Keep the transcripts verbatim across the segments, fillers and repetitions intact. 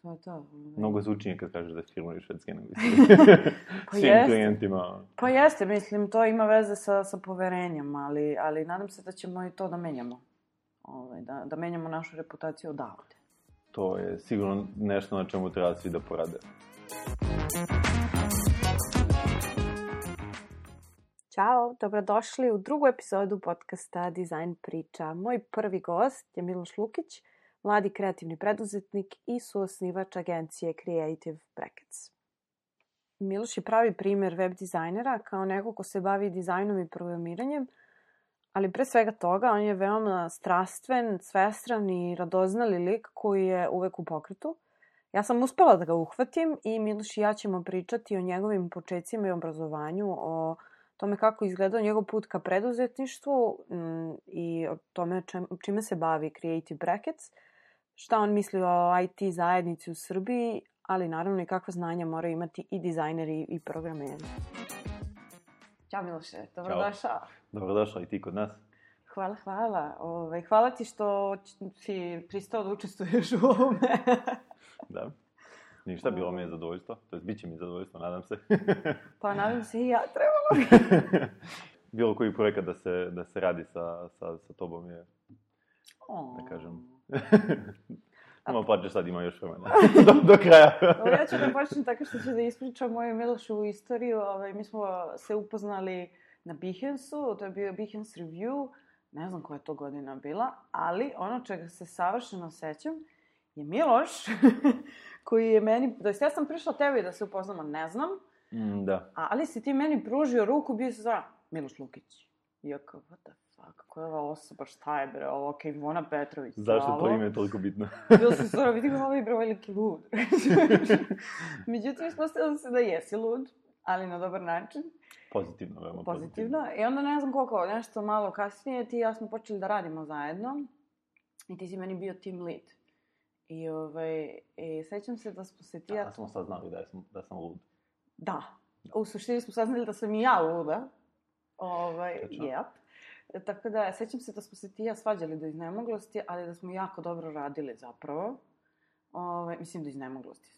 to je to. Mnogo zvučnije kad kažeš da je firma iz Švedske nego pa svim jeste. klijentima. Pa jeste, mislim, to ima veze sa, sa poverenjem, ali, ali nadam se da ćemo i to da menjamo. Ovaj, da, da menjamo našu reputaciju odavde. To je sigurno nešto na čemu treba svi da porade. Ćao, dobrodošli u drugu epizodu podcasta Dizajn priča. Moj prvi gost je Miloš Lukić, mladi kreativni preduzetnik i suosnivač agencije Creative Brackets. Miloš je pravi primjer web dizajnera kao neko ko se bavi dizajnom i programiranjem, ali pre svega toga on je veoma strastven, svestran i radoznali lik koji je uvek u pokretu. Ja sam uspela da ga uhvatim i Miloš i ja ćemo pričati o njegovim počecima i obrazovanju, o tome kako izgledao njegov put ka preduzetništvu m, i o tome čem, čime se bavi Creative Brackets, šta on misli o I T zajednici u Srbiji, ali naravno i kakva znanja moraju imati i dizajneri i programeri. Ćao Miloše, dobrodošao. Dobrodošao i ti kod nas. Hvala, hvala. Ove, hvala ti što si pristao da učestvuješ u ovome. Da. Ništa, bilo mi je zadovoljstvo. To je, bit će mi zadovoljstvo, nadam se. Pa nadam se i ja, trebalo bi. Bilo koji projekat da se, da se radi sa, sa, sa tobom je, oh. da kažem... Samo plaćeš, sad ima još vremena. Do, do kraja. Ovo, ja ću da počnem tako što ću da ispričam moju Milošovu istoriju. Ovaj, mi smo se upoznali na Behance-u, to je bio Behance Review, ne znam koja je to godina bila, ali ono čega se savršeno sećam je Miloš, koji je meni, to jest ja sam prišla tebi da se upoznamo, ne znam, mm, da. ali si ti meni pružio ruku, bio se zove Miloš Lukić. I ja kao, what the fuck, koja je ova osoba, šta je bre, ovo, okej, okay, Ivona Petrović, zašto bravo. to ime je toliko bitno? Bilo se stvarno, vidi ga ovaj bre, veliki lud. Međutim, ispostavilo se da jesi lud, ali na dobar način. Pozitivno, veoma pozitivno. pozitivno. I onda ne znam koliko, nešto malo kasnije, ti i ja smo počeli da radimo zajedno. I ti si meni bio team lead. I, ovaj, i sećam se da smo se ti... Da, smo saznali da, sam, da sam lud. Da. U suštini smo saznali da sam i ja luda. Ovaj, yep. Tako da, sećam se da smo se ti i ja svađali do iznemoglosti, ali da smo jako dobro radili zapravo. Ove, mislim da iznemoglosti,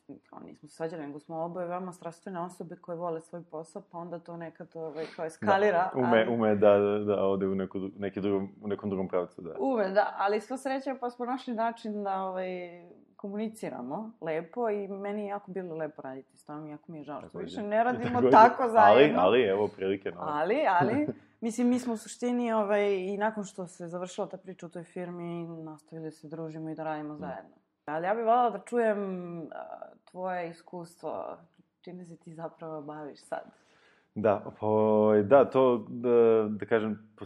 nismo se svađali, nego smo oboje veoma strastvene osobe koje vole svoj posao, pa onda to nekad ove, kao eskalira. Da, ume, ali... ume da, da ode u, neku, neki drugom, u nekom drugom pravcu, da. Ume, da, ali sva sreća pa smo našli način da ovaj, komuniciramo lepo i meni je jako bilo lepo raditi s tom, jako mi je žao što više ne radimo tako, tako zajedno. Ali, ali, evo, prilike. No. Ali, ali, mislim, mi smo u suštini ovaj, i nakon što se završila ta priča u toj firmi, nastavili se družimo i da radimo zajedno. Ali ja bih voljela da čujem uh, tvoje iskustvo, čime se ti zapravo baviš sad. Da, po, da, to, da, da kažem, po,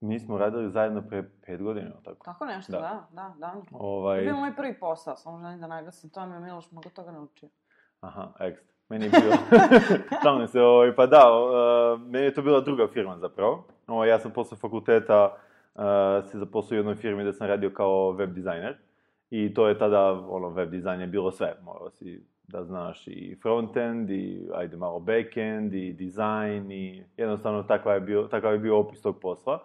mi smo radili zajedno pre pet godina, tako? Tako nešto, da, da, da. da. Ovaj... To je bio moj prvi posao, samo želim da naglasim, to mi je Miloš mnogo toga naučio. Aha, ekstra. Meni je bilo, šalim se, ovaj, pa da, uh, meni je to bila druga firma zapravo. Ovaj, ja sam posle fakulteta uh, se zaposlio u jednoj firmi da sam radio kao web dizajner. I to je tada, ono, web dizajn je bilo sve. Morao si da znaš i frontend, i ajde malo backend, i dizajn, i jednostavno takav je bio, takav je bio opis tog posla.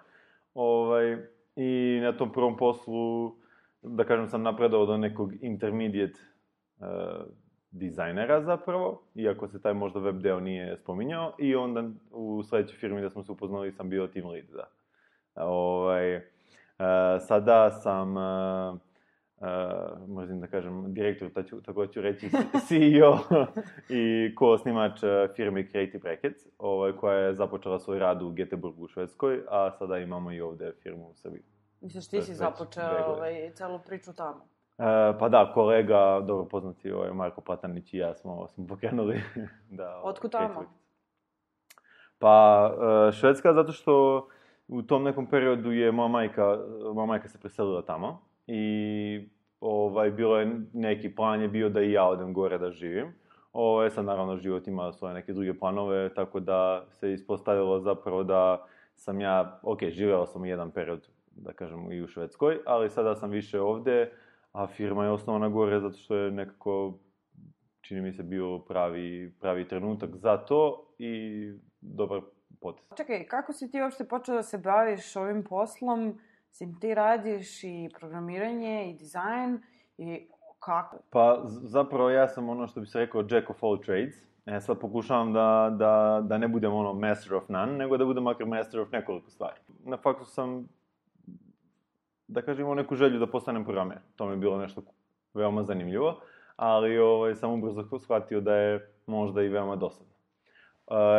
Ovaj, i na tom prvom poslu, da kažem, sam napredao do nekog intermediate uh, dizajnera zapravo, iako se taj možda web deo nije spominjao. I onda u sledećoj firmi da smo se upoznali sam bio team lead, da. Ovaj, uh, sada sam... Uh, Uh, možda da kažem, direktor, taču, tako ću reći, C E O i ko-osnimač firme Creative Brackets, ovaj, koja je započela svoj rad u Göteborgu u Švedskoj, a sada imamo i ovde firmu u Srbiji. Misliš, ti si započeo ovaj, celu priču tamo? Uh, pa da, kolega, dobro poznati, ovaj, Marko Platanić i ja smo, smo pokrenuli. da, Otkud tamo? Pa, uh, Švedska, zato što u tom nekom periodu je moja majka, moja majka se preselila tamo. I ovaj, bilo je neki plan je bio da i ja odem gore da živim. Ovaj, sad naravno život ima svoje neke druge planove, tako da se ispostavilo zapravo da sam ja, ok, živeo sam jedan period, da kažem, i u Švedskoj, ali sada sam više ovde, a firma je osnovana gore zato što je nekako, čini mi se, bio pravi, pravi trenutak za to i dobar potez. Čekaj, kako si ti uopšte počeo da se baviš ovim poslom? Sim, ti radiš i programiranje i dizajn i kako? Pa zapravo ja sam ono što bi se rekao jack of all trades. E sad pokušavam da, da, da ne budem ono master of none, nego da budem makar master of nekoliko stvari. Na faksu sam, da kažem, imao neku želju da postanem programer. To mi je bilo nešto veoma zanimljivo, ali ovaj, sam ubrzo shvatio da je možda i veoma dosadno.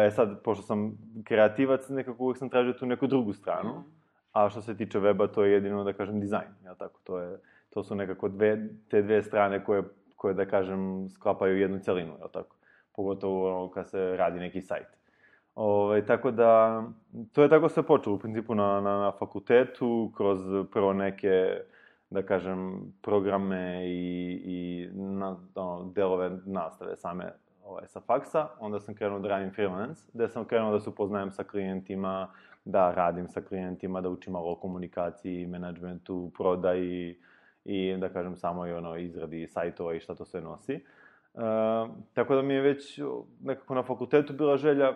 E sad, pošto sam kreativac, nekako uvijek sam tražio tu neku drugu stranu, mm. a što se tiče weba, to je jedino, da kažem, dizajn. Ja, tako, to, je, to su nekako dve, te dve strane koje, koje, da kažem, sklapaju jednu celinu, ja, tako. Pogotovo ono, kad se radi neki sajt. Ove, tako da, to je tako sve počelo, u principu, na, na, na fakultetu, kroz prvo neke, da kažem, programe i, i na, ono, delove nastave same ovaj, sa faksa. Onda sam krenuo da radim freelance, gde sam krenuo da se upoznajem sa klijentima, da radim sa klijentima, da učim malo o komunikaciji, menadžmentu, prodaji i, da kažem, samo i ono, izradi sajtova i šta to sve nosi. Uh, tako da mi je već nekako na fakultetu bila želja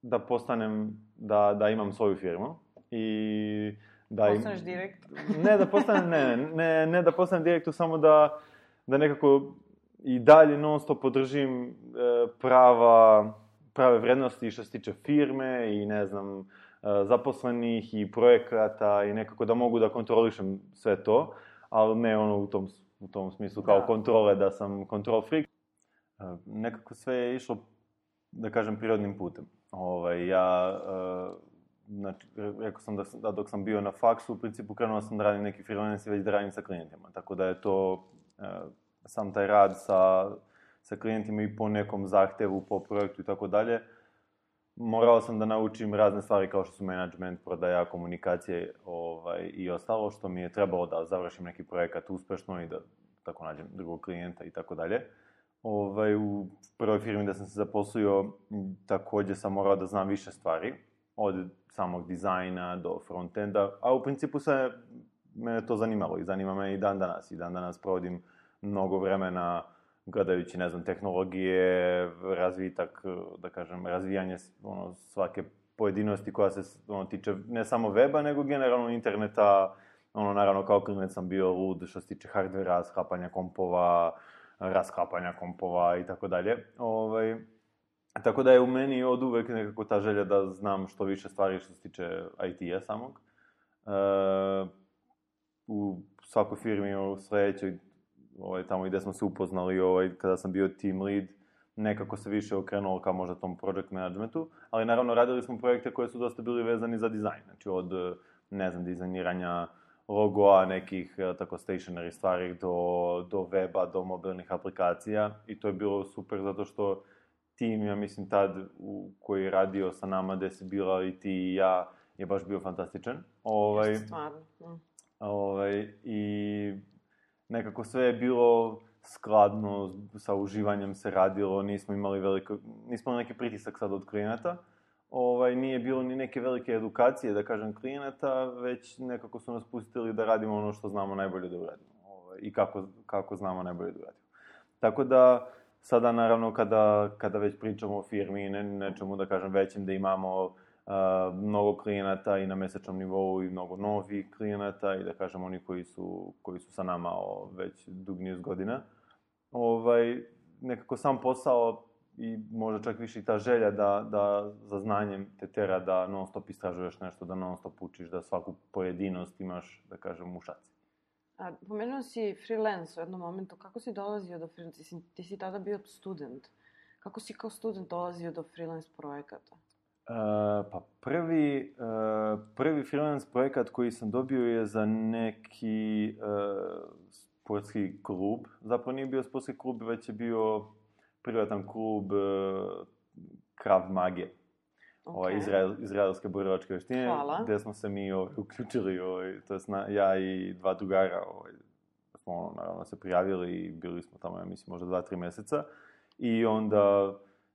da postanem, da, da imam svoju firmu i da im... Postaneš direktor? Ne da postanem, ne, ne, ne da postanem direktor, samo da, da nekako i dalje non stop podržim e, prava, prave vrednosti što se tiče firme i ne znam, e, zaposlenih i projekata i nekako da mogu da kontrolišem sve to, ali ne ono u tom u tom smislu kao da. Kontrole, da sam control freak. Uh, nekako sve je išlo, da kažem, prirodnim putem. Ovaj, ja, uh, znači, rekao sam da, da dok sam bio na faksu, u principu krenuo sam da radim neki freelance i već da radim sa klijentima. Tako da je to, uh, sam taj rad sa, sa klijentima i po nekom zahtevu, po projektu i tako dalje, morao sam da naučim razne stvari kao što su management, prodaja, komunikacije ovaj, i ostalo što mi je trebalo da završim neki projekat uspešno i da tako nađem drugog klijenta i tako dalje. Ovaj, u prvoj firmi da sam se zaposlio također sam morao da znam više stvari, od samog dizajna do frontenda, a u principu se mene to zanimalo i zanima me i dan danas. I dan danas provodim mnogo vremena gledajući, ne znam, tehnologije, razvitak, da kažem, razvijanje ono, svake pojedinosti koja se ono, tiče ne samo weba, nego generalno interneta. Ono, naravno, kao klinac sam bio lud što se tiče hardvera, sklapanja kompova, rasklapanja kompova i tako dalje. Ovaj, tako da je u meni od uvek nekako ta želja da znam što više stvari što se tiče I T-a samog. E, u svakoj firmi, u sledećoj, ovaj, tamo gde smo se upoznali, ovaj, kada sam bio team lead, nekako se više okrenuo kao možda tom project managementu, ali naravno radili smo projekte koje su dosta bili vezani za dizajn, znači od, ne znam, dizajniranja logoa, nekih tako stationary stvari do, do weba, do mobilnih aplikacija i to je bilo super zato što tim, ja mislim, tad u, koji je radio sa nama, gde si bila i ti i ja, je baš bio fantastičan. Ovaj, Jeste stvarno. Mm. Ovaj, i nekako sve je bilo skladno, sa uživanjem se radilo, nismo imali veliko, nismo imali neki pritisak sad od klijenata. Ovaj, nije bilo ni neke velike edukacije, da kažem, klijenata, već nekako su nas pustili da radimo ono što znamo najbolje da uradimo. Ovaj, i kako, kako znamo najbolje da uradimo. Tako da, sada naravno kada, kada već pričamo o firmi i ne, nečemu, da kažem, većem, da imamo Uh, mnogo klijenata i na mesečnom nivou i mnogo novih klijenata i da kažem oni koji su, koji su sa nama o, već dug niz godina. Ovaj, nekako sam posao i možda čak više i ta želja da, da za znanjem te tera da non stop istražuješ nešto, da non stop učiš, da svaku pojedinost imaš, da kažem, u šaci. A, pomenuo si freelance u jednom momentu. Kako si dolazio do freelance? Ti si, ti si tada bio student. Kako si kao student dolazio do freelance projekata? Uh, pa prvi, uh, prvi freelance projekat koji sam dobio je za neki uh, sportski klub. Zapravo nije bio sportski klub, već je bio privatan klub uh, Krav Mage. Okay. Ovaj, Izrael, izraelske borilačke veštine. Hvala. Gde smo se mi ovaj, uključili, ovaj, to jest na, ja i dva drugara, ovaj, smo naravno se prijavili i bili smo tamo, ja mislim, možda dva, tri meseca. I onda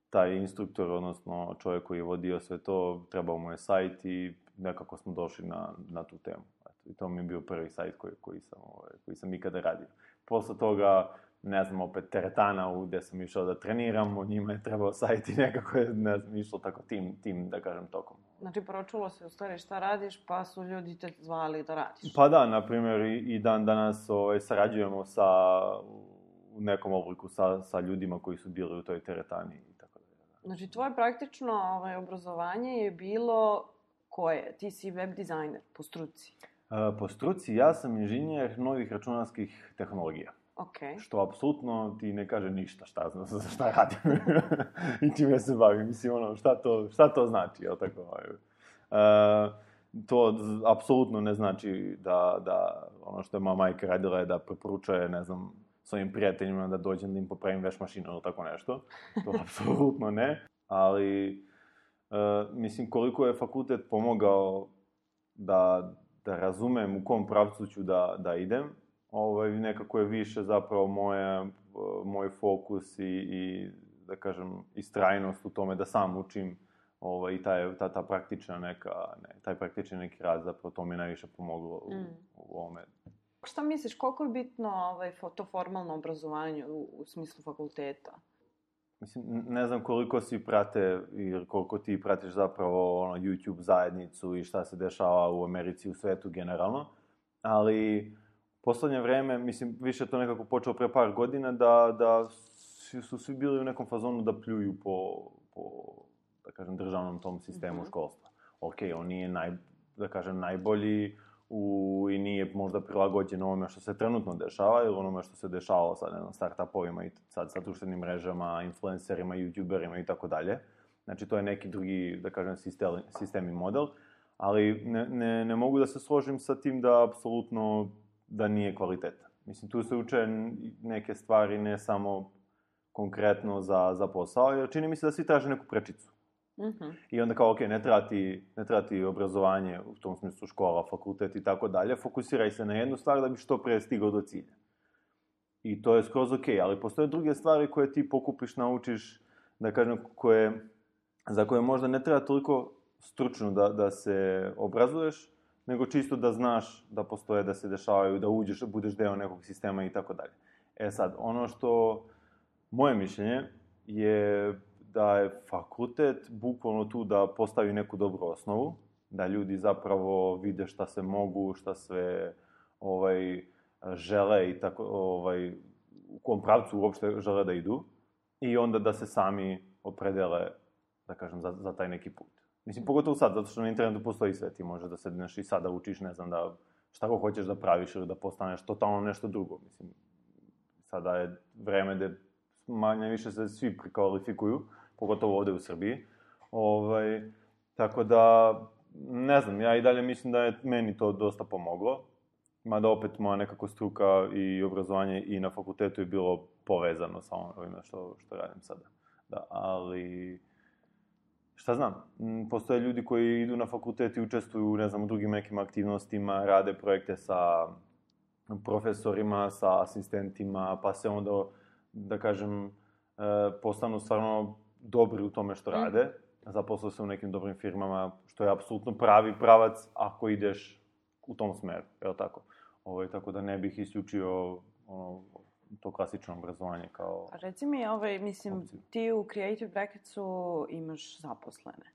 taj instruktor, odnosno čovjek koji je vodio sve to, trebao mu je sajt i nekako smo došli na, na tu temu. Eto, i to mi je bio prvi sajt koji, koji, sam, ovaj, koji sam ikada radio. Posle toga ne znam, opet teretana u gdje sam išao da treniram, o njima je trebao sajt i nekako je, ne znam, išlo tako tim, tim, da kažem, tokom. Znači, pročulo se u stvari šta radiš, pa su ljudi te zvali da radiš. Pa da, na primjer, i, i dan danas ovaj, sarađujemo sa, u nekom obliku sa, sa ljudima koji su bili u toj teretani i tako da. Znači, tvoje praktično ovaj, obrazovanje je bilo koje? Ti si web dizajner po struci. E, po struci ja sam inženjer novih računarskih tehnologija. Okay. Što apsolutno ti ne kaže ništa šta, šta radim i čime se bavim. Mislim, ono, šta to, šta to znači, jel tako? E, to apsolutno ne znači da, da ono što je moja majka radila je da preporučuje, ne znam, svojim prijateljima da dođem da im popravim veš mašinu ili tako nešto. To apsolutno ne. Ali, e, mislim, koliko je fakultet pomogao da, da razumem u kom pravcu ću da, da idem, ovaj, nekako je više zapravo moje, moj fokus i, i, da kažem, istrajnost u tome da sam učim ovaj, i taj, ta, ta praktična neka, ne, taj praktični neki rad, zapravo to mi je najviše pomoglo u, mm. u ovome. Šta misliš, koliko je bitno ovaj, to formalno obrazovanje u, u smislu fakulteta? Mislim, ne znam koliko svi prate ili koliko ti pratiš zapravo ono, YouTube zajednicu i šta se dešava u Americi, u svetu generalno, ali poslednje vreme, mislim, više to nekako počelo pre par godina, da, da su svi bili u nekom fazonu da pljuju po, po da kažem, državnom tom sistemu mm-hmm. školstva. Ok, on nije, naj, da kažem, najbolji u, i nije možda prilagođen ovome što se trenutno dešava ili onome što se dešavalo sa, ne znam, start-upovima i sad sa društvenim mrežama, influencerima, youtuberima i tako dalje. Znači, to je neki drugi, da kažem, sistem, sistem i model, ali ne, ne, ne mogu da se složim sa tim da apsolutno da nije kvalitetan. Mislim, tu se uče neke stvari ne samo konkretno za, za posao, jer čini mi se da svi traže neku prečicu. Mm-hmm. I onda kao, ok, ne treba ti, ne treba ti obrazovanje, u tom smislu škola, fakultet i tako dalje, fokusiraj se na jednu stvar da bi što pre stigao do cilja. I to je skroz ok, ali postoje druge stvari koje ti pokupiš, naučiš, da kažem, koje, za koje možda ne treba toliko stručno da, da se obrazuješ, nego čisto da znaš da postoje, da se dešavaju, da uđeš, da budeš deo nekog sistema i tako dalje. E sad, ono što, moje mišljenje je da je fakultet bukvalno tu da postavi neku dobru osnovu, da ljudi zapravo vide šta se mogu, šta sve ovaj, žele i tako, ovaj, u kom pravcu uopšte žele da idu, i onda da se sami opredele, da kažem, za, za taj neki put. Mislim, pogotovo sad, zato što na internetu postoji sve, ti možeš da sedneš i sada učiš, ne znam, da šta ko hoćeš da praviš ili da postaneš totalno nešto drugo. Mislim, sada je vreme gde manje više se svi prekvalifikuju, pogotovo ovde u Srbiji. Ovaj, tako da, ne znam, ja i dalje mislim da je meni to dosta pomoglo. Mada opet moja nekako struka i obrazovanje i na fakultetu je bilo povezano sa ovime što, što radim sada. Da, ali šta znam, postoje ljudi koji idu na fakultet i učestvuju, ne znam, u drugim nekim aktivnostima, rade projekte sa profesorima, sa asistentima, pa se onda, da kažem, postanu stvarno dobri u tome što rade, zaposlaju se u nekim dobrim firmama, što je apsolutno pravi pravac ako ideš u tom smeru, je li tako? Ovo, tako da ne bih isključio ono, to klasično obrazovanje kao... Reci mi, ovaj, mislim, opciju. Ti u Creative Bracketsu imaš zaposlene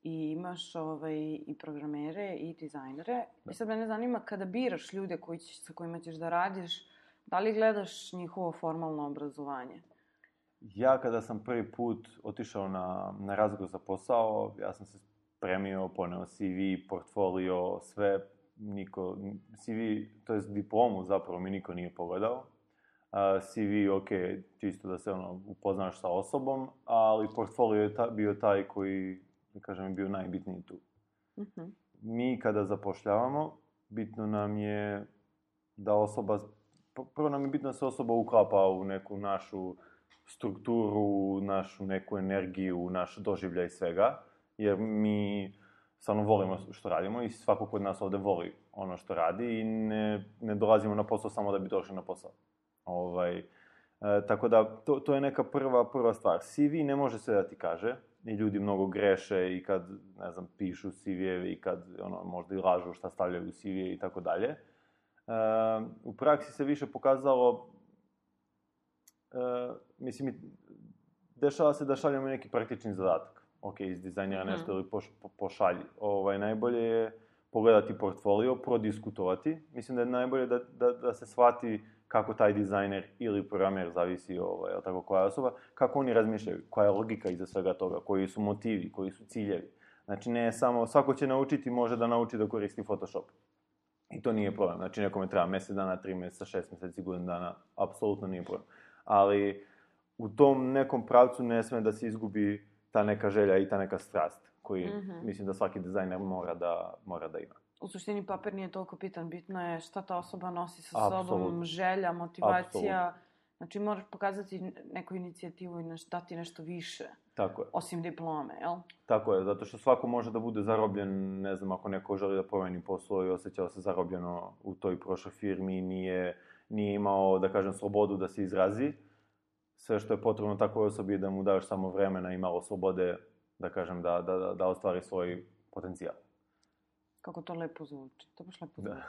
i imaš ovaj, i programere i dizajnere. Da. I sad mene zanima, kada biraš ljude koji će, sa kojima ćeš da radiš, da li gledaš njihovo formalno obrazovanje? Ja kada sam prvi put otišao na, na razgovor za posao, ja sam se spremio, poneo C V, portfolio, sve, niko, C V, to jest diplomu zapravo mi niko nije pogledao. Uh, C V, ok, čisto da se ono, upoznaš sa osobom, ali portfolio je ta, bio taj koji, da kažem, bio najbitniji tu. Mm-hmm. Mi kada zapošljavamo, bitno nam je da osoba, prvo nam je bitno da se osoba uklapa u neku našu strukturu, našu neku energiju, naš doživljaj svega, jer mi stvarno volimo što radimo i svako kod nas ovde voli ono što radi i ne, ne dolazimo na posao samo da bi došli na posao. Ovaj, e, tako da, to, to je neka prva, prva stvar. C V ne može sve da ti kaže i ljudi mnogo greše i kad, ne znam, pišu C V-eve i kad ono, možda i lažu šta stavljaju u C V i tako dalje. E, u praksi se više pokazalo mislim, dešava se da šaljemo neki praktični zadatak. Ok, izdizajnira mm-hmm. nešto ili poš, po, pošalji. Ovaj, najbolje je pogledati portfolio, prodiskutovati. Mislim da je najbolje da, da, da se shvati kako taj dizajner ili programer, zavisi ovaj, tako koja je osoba, kako oni razmišljaju, koja je logika iza svega toga, koji su motivi, koji su ciljevi. Znači, ne samo, svako će naučiti, može da nauči da koristi Photoshop. I to nije problem. Znači, nekome treba mjesec dana, tri mjeseca, šest mjeseci, godinu dana, apsolutno nije problem. Ali u tom nekom pravcu ne sme da se izgubi ta neka želja i ta neka strast, koji mm-hmm. mislim da svaki dizajner mora da, mora da ima. U suštini papir nije toliko bitan, bitno je šta ta osoba nosi sa Absolut. sobom, želja, motivacija. Absolut. Znači moraš pokazati neku inicijativu i neš, dati nešto više. Tako je. Osim diplome, jel? Tako je, zato što svako može da bude zarobljen, ne znam, ako neko želi da promeni posao i osjećao se zarobljeno u toj prošloj firmi, nije, nije imao, da kažem, slobodu da se izrazi. Sve što je potrebno takvoj osobi je da mu daš samo vremena i malo slobode, da kažem, da, da, da, da ostvari svoj potencijal. Kako to lepo zvuči. To baš lepo zvuči.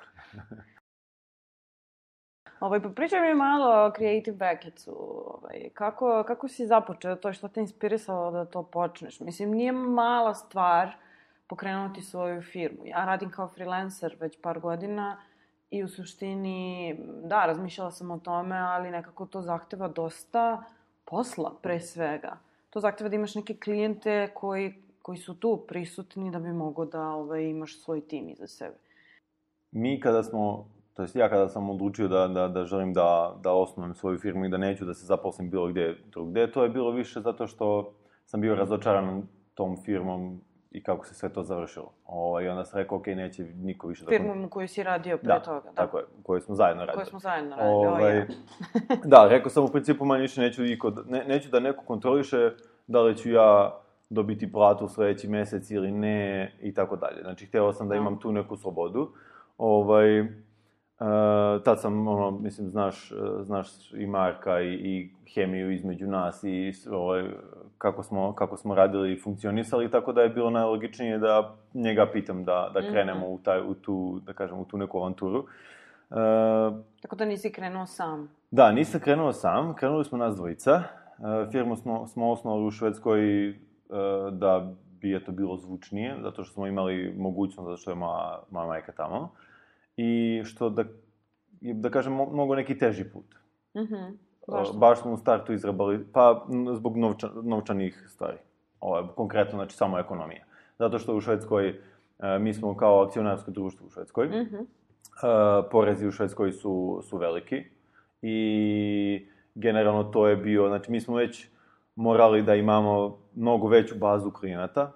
Ovaj, pa pričaj mi malo o Creative Bucketsu. Ovaj, kako, kako si započeo to? Što te inspirisalo da to počneš? Mislim, nije mala stvar pokrenuti svoju firmu. Ja radim kao freelancer već par godina i u suštini, da, razmišljala sam o tome, ali nekako to zahteva dosta posla, pre svega. To zahteva da imaš neke klijente koji, koji su tu prisutni da bi mogo da ovaj, imaš svoj tim iza sebe. Mi kada smo, to jest ja kada sam odlučio da, da, da želim da, da osnujem svoju firmu i da neću da se zaposlim bilo gdje drugdje, to je bilo više zato što sam bio razočaran tom firmom i kako se sve to završilo. O, I onda sam rekao, ok, neće niko više... Firmu u kojoj si radio pre da, toga. Da, tako je, u kojoj smo zajedno radili. U kojoj smo zajedno radili, ovaj, o, ja. Da, rekao sam u principu manje više neću, ne, neću da neko kontroliše da li ću ja dobiti platu u sljedeći mjesec ili ne i tako dalje. Znači, htio sam da imam tu neku slobodu. Ovaj, uh, tad sam, ono, mislim, znaš, znaš i Marka i, i hemiju između nas i ovaj, kako, smo, kako smo radili i funkcionisali, tako da je bilo najlogičnije da njega pitam da, da krenemo mm-hmm. u, taj, u, tu, da kažem, u tu neku avanturu. Uh, tako da nisi krenuo sam? Da, nisam krenuo sam. Krenuli smo nas dvojica. Uh, firmu smo, smo osnovali u Švedskoj uh, da bi je to bilo zvučnije, zato što smo imali mogućnost, zato što je moja, moja majka tamo. I što, da, da kažem, mogo neki teži put. Mm-hmm. Zašto? Uh, baš smo u startu izrabali, pa zbog novča, novčanih stvari. Ovo, konkretno, znači samo ekonomija. Zato što u Švedskoj, uh, mi smo kao akcionarsko društvo u Švedskoj, mm-hmm. uh, porezi u Švedskoj su, su veliki i generalno to je bio, znači mi smo već morali da imamo mnogo veću bazu klijenata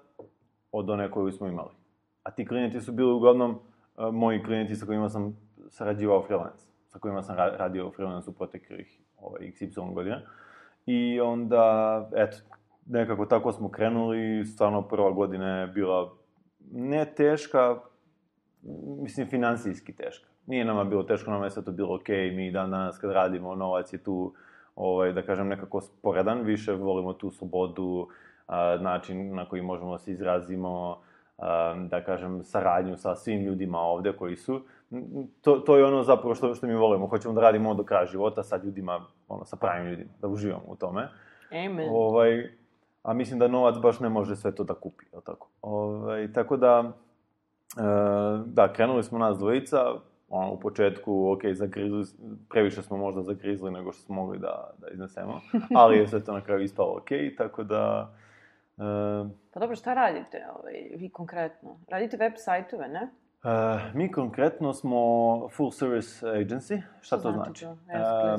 od one koju smo imali. A ti klijenti su bili uglavnom uh, moji klijenti sa kojima sam sarađivao freelance, sa kojima sam ra- radio freelance u proteklih ovaj, iks ipsilon godina. I onda, eto, nekako tako smo krenuli, stvarno prva godina je bila ne teška, mislim financijski teška. Nije nama bilo teško, nama je sve to bilo ok, mi dan danas kad radimo, novac je tu, ovaj, da kažem, nekako sporedan, više volimo tu slobodu, a, način na koji možemo da se izrazimo, a, da kažem, saradnju sa svim ljudima ovdje koji su. To, to je ono zapravo što, što mi volimo, hoćemo da radimo do kraja života sa ljudima, ono, sa pravim ljudima, da uživamo u tome. Amen. Ovaj, a mislim da novac baš ne može sve to da kupi, je li tako? Ovaj, tako da, e, da, krenuli smo nas dvojica, ono, u početku, ok, zagrizli, previše smo možda zagrizli nego što smo mogli da, da iznesemo, ali je sve to na kraju ispalo ok, tako da... E, pa dobro, šta radite, ovaj, vi konkretno? Radite web sajtove, ne? Uh, mi konkretno smo full service agency. Šta to znači? To? Yes,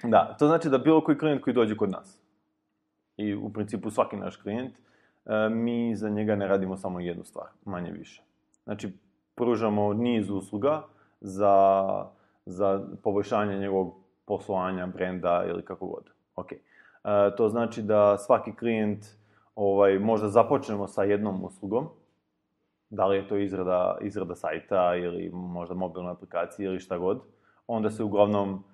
uh, da, to znači da bilo koji klijent koji dođe kod nas, i u principu svaki naš klijent, uh, mi za njega ne radimo samo jednu stvar, manje više. Znači, pružamo niz usluga za, za poboljšanje njegovog poslovanja, brenda ili kako god. Okay. Uh, to znači da svaki klijent, ovaj, možda započnemo sa jednom uslugom, da li je to izrada, izrada sajta ili možda mobilna aplikacija ili šta god, onda se uglavnom,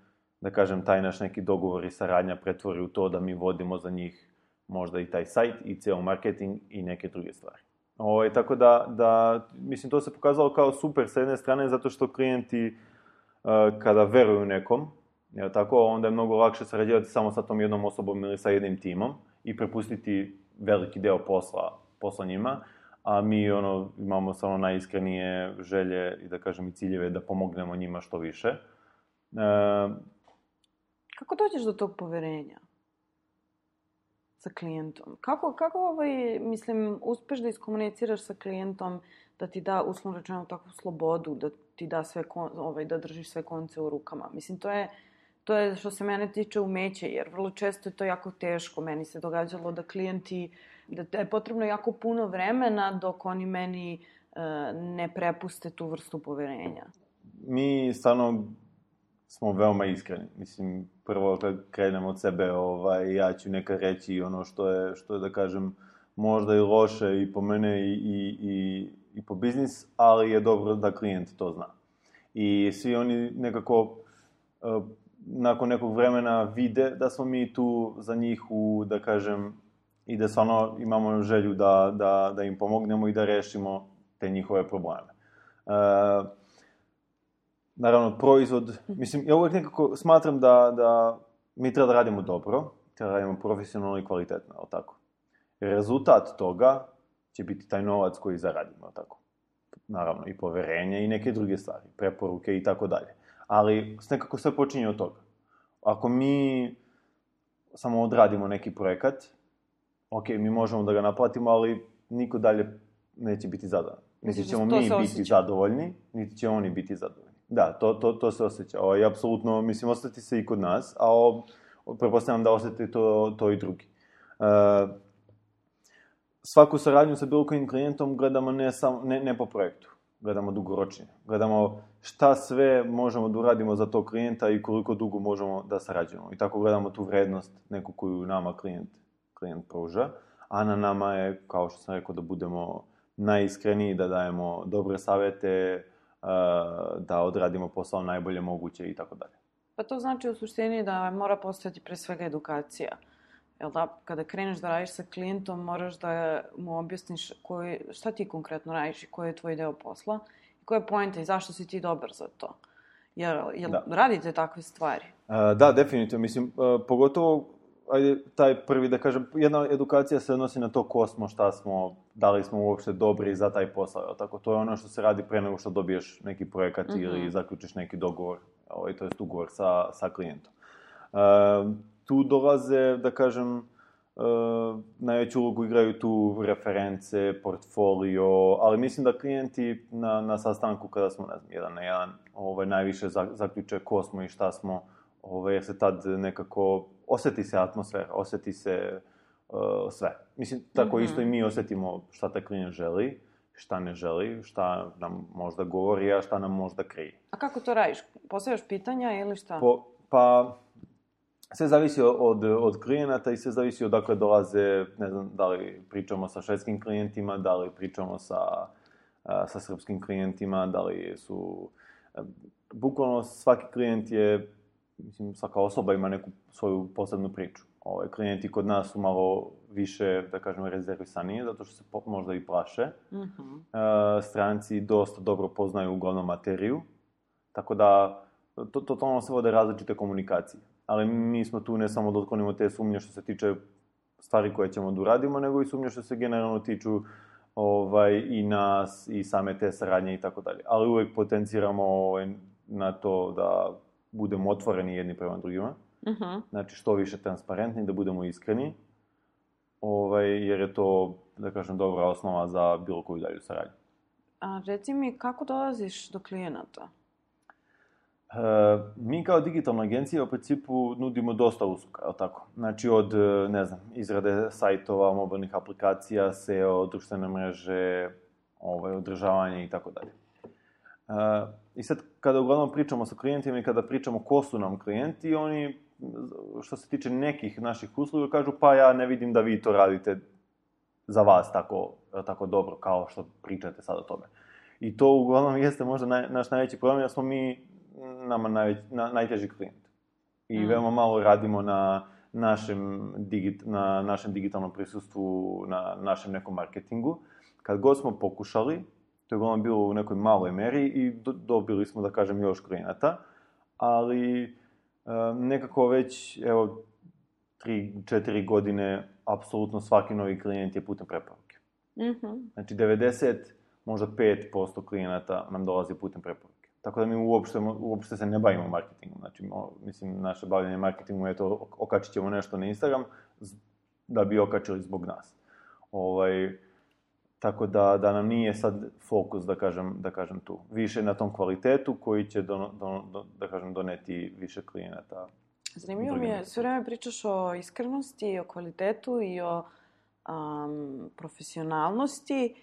da kažem, taj naš neki dogovor i saradnja pretvori u to da mi vodimo za njih možda i taj sajt i ceo marketing i neke druge stvari. Ovo, tako da, da, mislim, to se pokazalo kao super sa jedne strane zato što klijenti uh, kada veruju nekom, Jer tako, onda je mnogo lakše sarađivati samo sa tom jednom osobom ili sa jednim timom i prepustiti veliki deo posla, posla njima, a mi ono, imamo samo najiskrenije želje i da kažem i ciljeve da pomognemo njima što više. E... Kako dođeš do tog poverenja sa klijentom? Kako, kako ovaj, mislim, uspeš da iskomuniciraš sa klijentom da ti da, uslovno rečeno, takvu slobodu, da ti da sve, ovaj, da držiš sve konce u rukama? Mislim, to je, to je što se mene tiče umeće, jer vrlo često je to jako teško. Meni se događalo da klijenti, da je potrebno jako puno vremena dok oni meni uh, ne prepuste tu vrstu poverenja. Mi stvarno smo veoma iskreni. Mislim, prvo kad krenemo od sebe, ovaj, ja ću nekad reći ono što je, što je da kažem, možda i loše i po mene i, i, i, i po biznis, ali je dobro da klijent to zna. I svi oni nekako uh, nakon nekog vremena vide da smo mi tu za njih u, da kažem, i da stvarno imamo želju da, da, da im pomognemo i da rešimo te njihove probleme. Uh, naravno, proizvod, mislim, ja uvijek nekako smatram da, da mi treba da radimo dobro, treba da radimo profesionalno i kvalitetno, ali tako. Rezultat toga će biti taj novac koji zaradimo, ali tako. Naravno, i poverenje i neke druge stvari, preporuke i tako dalje. Ali nekako sve počinje od toga. Ako mi samo odradimo neki projekat, ok, mi možemo da ga naplatimo, ali niko dalje neće biti zadovoljan. Niti ćemo mi biti osjeća. zadovoljni, niti će oni biti zadovoljni. Da, to, to, to se osjeća. O, i apsolutno, mislim, ostati se i kod nas, a o, pretpostavljam da osjeti to, to i drugi. Uh, svaku saradnju sa bilo kojim klijentom gledamo ne, sam, ne, ne po projektu. Gledamo dugoročnije. Gledamo šta sve možemo da uradimo za tog klijenta i koliko dugo možemo da sarađujemo. I tako gledamo tu vrednost neku koju nama klijent, klijent pruža. A na nama je, kao što sam rekao, da budemo najiskreniji, da dajemo dobre savjete, da odradimo posao najbolje moguće i tako dalje. Pa to znači u suštini da mora postojati pre svega edukacija. Jel da, kada kreneš da radiš sa klijentom, moraš da mu objasniš koji, šta ti konkretno radiš i koji je tvoj deo posla i koja je poenta i zašto si ti dobar za to. Jel, jel radite takve stvari? Uh, da, definitivno. Mislim, uh, pogotovo, ajde, taj prvi, da kažem, jedna edukacija se odnosi na to ko smo, šta smo, da li smo uopšte dobri za taj posao. Tako, to je ono što se radi pre nego što dobiješ neki projekat mm-hmm. ili zaključiš neki dogovor, ovaj, to jest ugovor sa, sa klijentom. Uh, Tu dolaze, da kažem, uh, najveću ulogu igraju tu reference, portfolio, ali mislim da klijenti na, na sastanku kada smo, ne znam, jedan na jedan, ovaj, najviše zaključe ko smo i šta smo, ovaj, jer se tad nekako osjeti se atmosfera, osjeti se uh, sve. Mislim, tako mm-hmm. isto i mi osjetimo šta taj klijent želi, šta ne želi, šta nam možda govori, a šta nam možda krije. A kako to radiš? Postavljaš pitanja ili šta? Po, pa... Sve zavisi od, od klijenata i sve zavisi odakle dolaze, ne znam, da li pričamo sa švedskim klijentima, da li pričamo sa, sa srpskim klijentima, da li su... Bukvalno svaki klijent je, mislim, svaka osoba ima neku svoju posebnu priču. Ove, klijenti kod nas su malo više, da kažem, rezervisanije, zato što se možda i plaše. Mm-hmm. Stranci dosta dobro poznaju uglavnom materiju, tako da to, totalno se vode različite komunikacije. Ali mi smo tu ne samo da otklonimo te sumnje što se tiče stvari koje ćemo da uradimo, nego i sumnje što se generalno tiču ovaj, i nas, i same te saradnje i tako dalje. Ali uvijek potenciramo ovaj, na to da budemo otvoreni jedni prema drugima. Uh-huh. Znači što više transparentni, da budemo iskreni, ovaj, jer je to, da kažem, dobra osnova za bilo koju dalju saradnju. A reci mi, kako dolaziš do klijenata? Uh, mi kao digitalna agencija u principu nudimo dosta usluga, je li tako? Znači od, ne znam, izrade sajtova, mobilnih aplikacija, S E O, društvene mreže, ovaj, održavanje i tako dalje. Uh, I sad, kada uglavnom pričamo sa klijentima i kada pričamo ko su nam klijenti, oni, što se tiče nekih naših usluga, kažu pa ja ne vidim da vi to radite za vas tako, tako dobro kao što pričate sad o tome. I to uglavnom jeste možda naj, naš najveći problem, jer smo mi nama najveć, na, najteži klijent. I mm. veoma malo radimo na našem, digit, na našem digitalnom prisustvu, na našem nekom marketingu. Kad god smo pokušali, to je uglavnom bilo u nekoj maloj meri i do, dobili smo, da kažem, još klijenata, ali nekako već, evo, tri, četiri godine, apsolutno svaki novi klijent je putem preporuke. Mm-hmm. Znači, devedeset, možda pet posto klijenata nam dolazi putem preporuke. Tako da mi uopšte, uopšte se ne bavimo marketingom. Znači, mislim, naše bavljanje marketingom je to, okačit ćemo nešto na Instagram da bi okačili zbog nas. Ovaj, tako da, da nam nije sad fokus, da kažem, da kažem tu. Više na tom kvalitetu koji će, do, do, do, da kažem, doneti više klijenata. Zanimljivo mi je, sve vreme pričaš o iskrenosti, o kvalitetu i o um, profesionalnosti.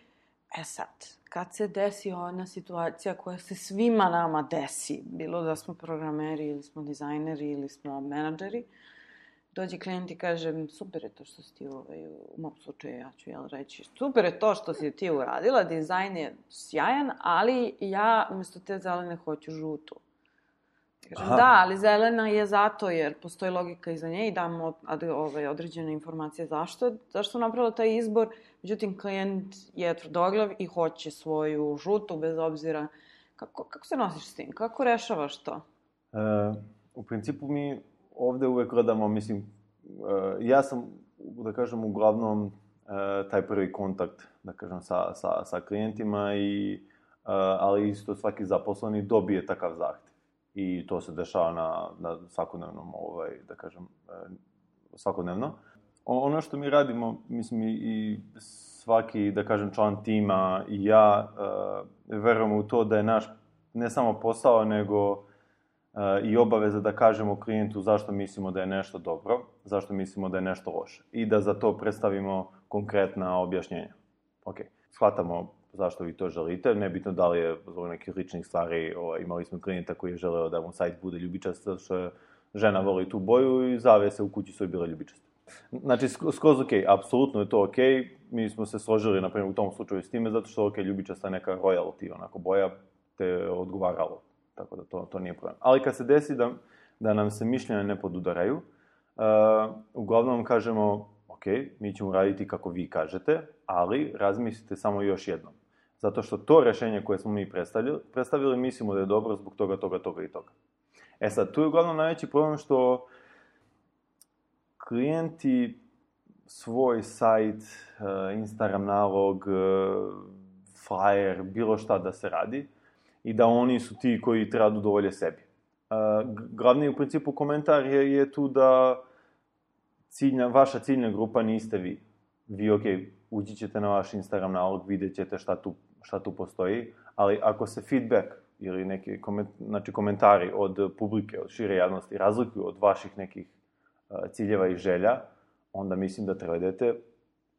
E sad, kad se desi ona situacija koja se svima nama desi, bilo da smo programeri ili smo dizajneri ili smo menadžeri, dođe klijent i kaže, super je to što si ti, ovaj, u mom slučaju ja ću jel reći, super je to što si ti uradila, dizajn je sjajan, ali ja umjesto te zelene hoću žutu. Kažem, da, ali zelena je zato jer postoji logika iza nje i damo od, ovaj, određene informacije zašto, zašto napravila taj izbor. Međutim, klijent je tvrdoglav i hoće svoju žutu bez obzira. Kako, kako se nosiš s tim? Kako rešavaš to? E, u principu mi ovde uvek gledamo, mislim, e, ja sam, da kažem, uglavnom e, taj prvi kontakt, da kažem, sa, sa, sa klijentima, i, e, ali isto svaki zaposleni dobije takav zahtev. I to se dešava na, na svakodnevnom, ovaj, da kažem, svakodnevno. Ono što mi radimo, mislim, i svaki, da kažem, član tima i ja uh, verujemo u to da je naš ne samo posao, nego uh, i obaveza da kažemo klijentu zašto mislimo da je nešto dobro, zašto mislimo da je nešto loše. I da za to predstavimo konkretna objašnjenja. Ok, shvatamo zašto vi to želite, nebitno da li je zbog nekih ličnih stvari. O, imali smo klijenta koji je želeo da mu sajt bude ljubičast, zato što žena voli tu boju i zavese u kući su i bile ljubičaste. Znači, skroz ok, apsolutno je to ok, mi smo se složili, na primjer, u tom slučaju s time, zato što ok, ljubičasta je neka royalty, onako, boja te odgovaralo, tako da to, to nije problem. Ali kad se desi da, da nam se mišljenja ne podudaraju, uh, uglavnom kažemo, ok, mi ćemo raditi kako vi kažete, ali razmislite samo još jednom. Zato što to rešenje koje smo mi predstavili, predstavili mislimo da je dobro zbog toga, toga, toga i toga. E sad, tu je uglavnom najveći problem što klijenti svoj sajt, Instagram nalog, flyer, bilo šta da se radi i da oni su ti koji treba da udovolje sebi. Glavni u principu komentar je, je tu da ciljna, vaša ciljna grupa niste vi. Vi, ok, ući ćete na vaš Instagram nalog, vidjet ćete šta tu, šta tu postoji, ali ako se feedback ili neki koment, znači komentari od publike, od šire javnosti razlikuju od vaših nekih uh, ciljeva i želja, onda mislim da treba idete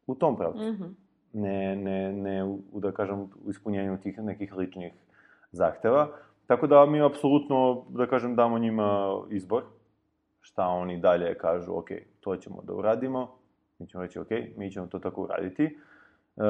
u tom pravcu. Mm-hmm. Ne, ne, ne u, da kažem, u ispunjenju tih nekih ličnih zahteva. Tako da mi apsolutno, da kažem, damo njima izbor, šta oni dalje kažu, ok, to ćemo da uradimo, mi ćemo reći, ok, mi ćemo to tako uraditi. E,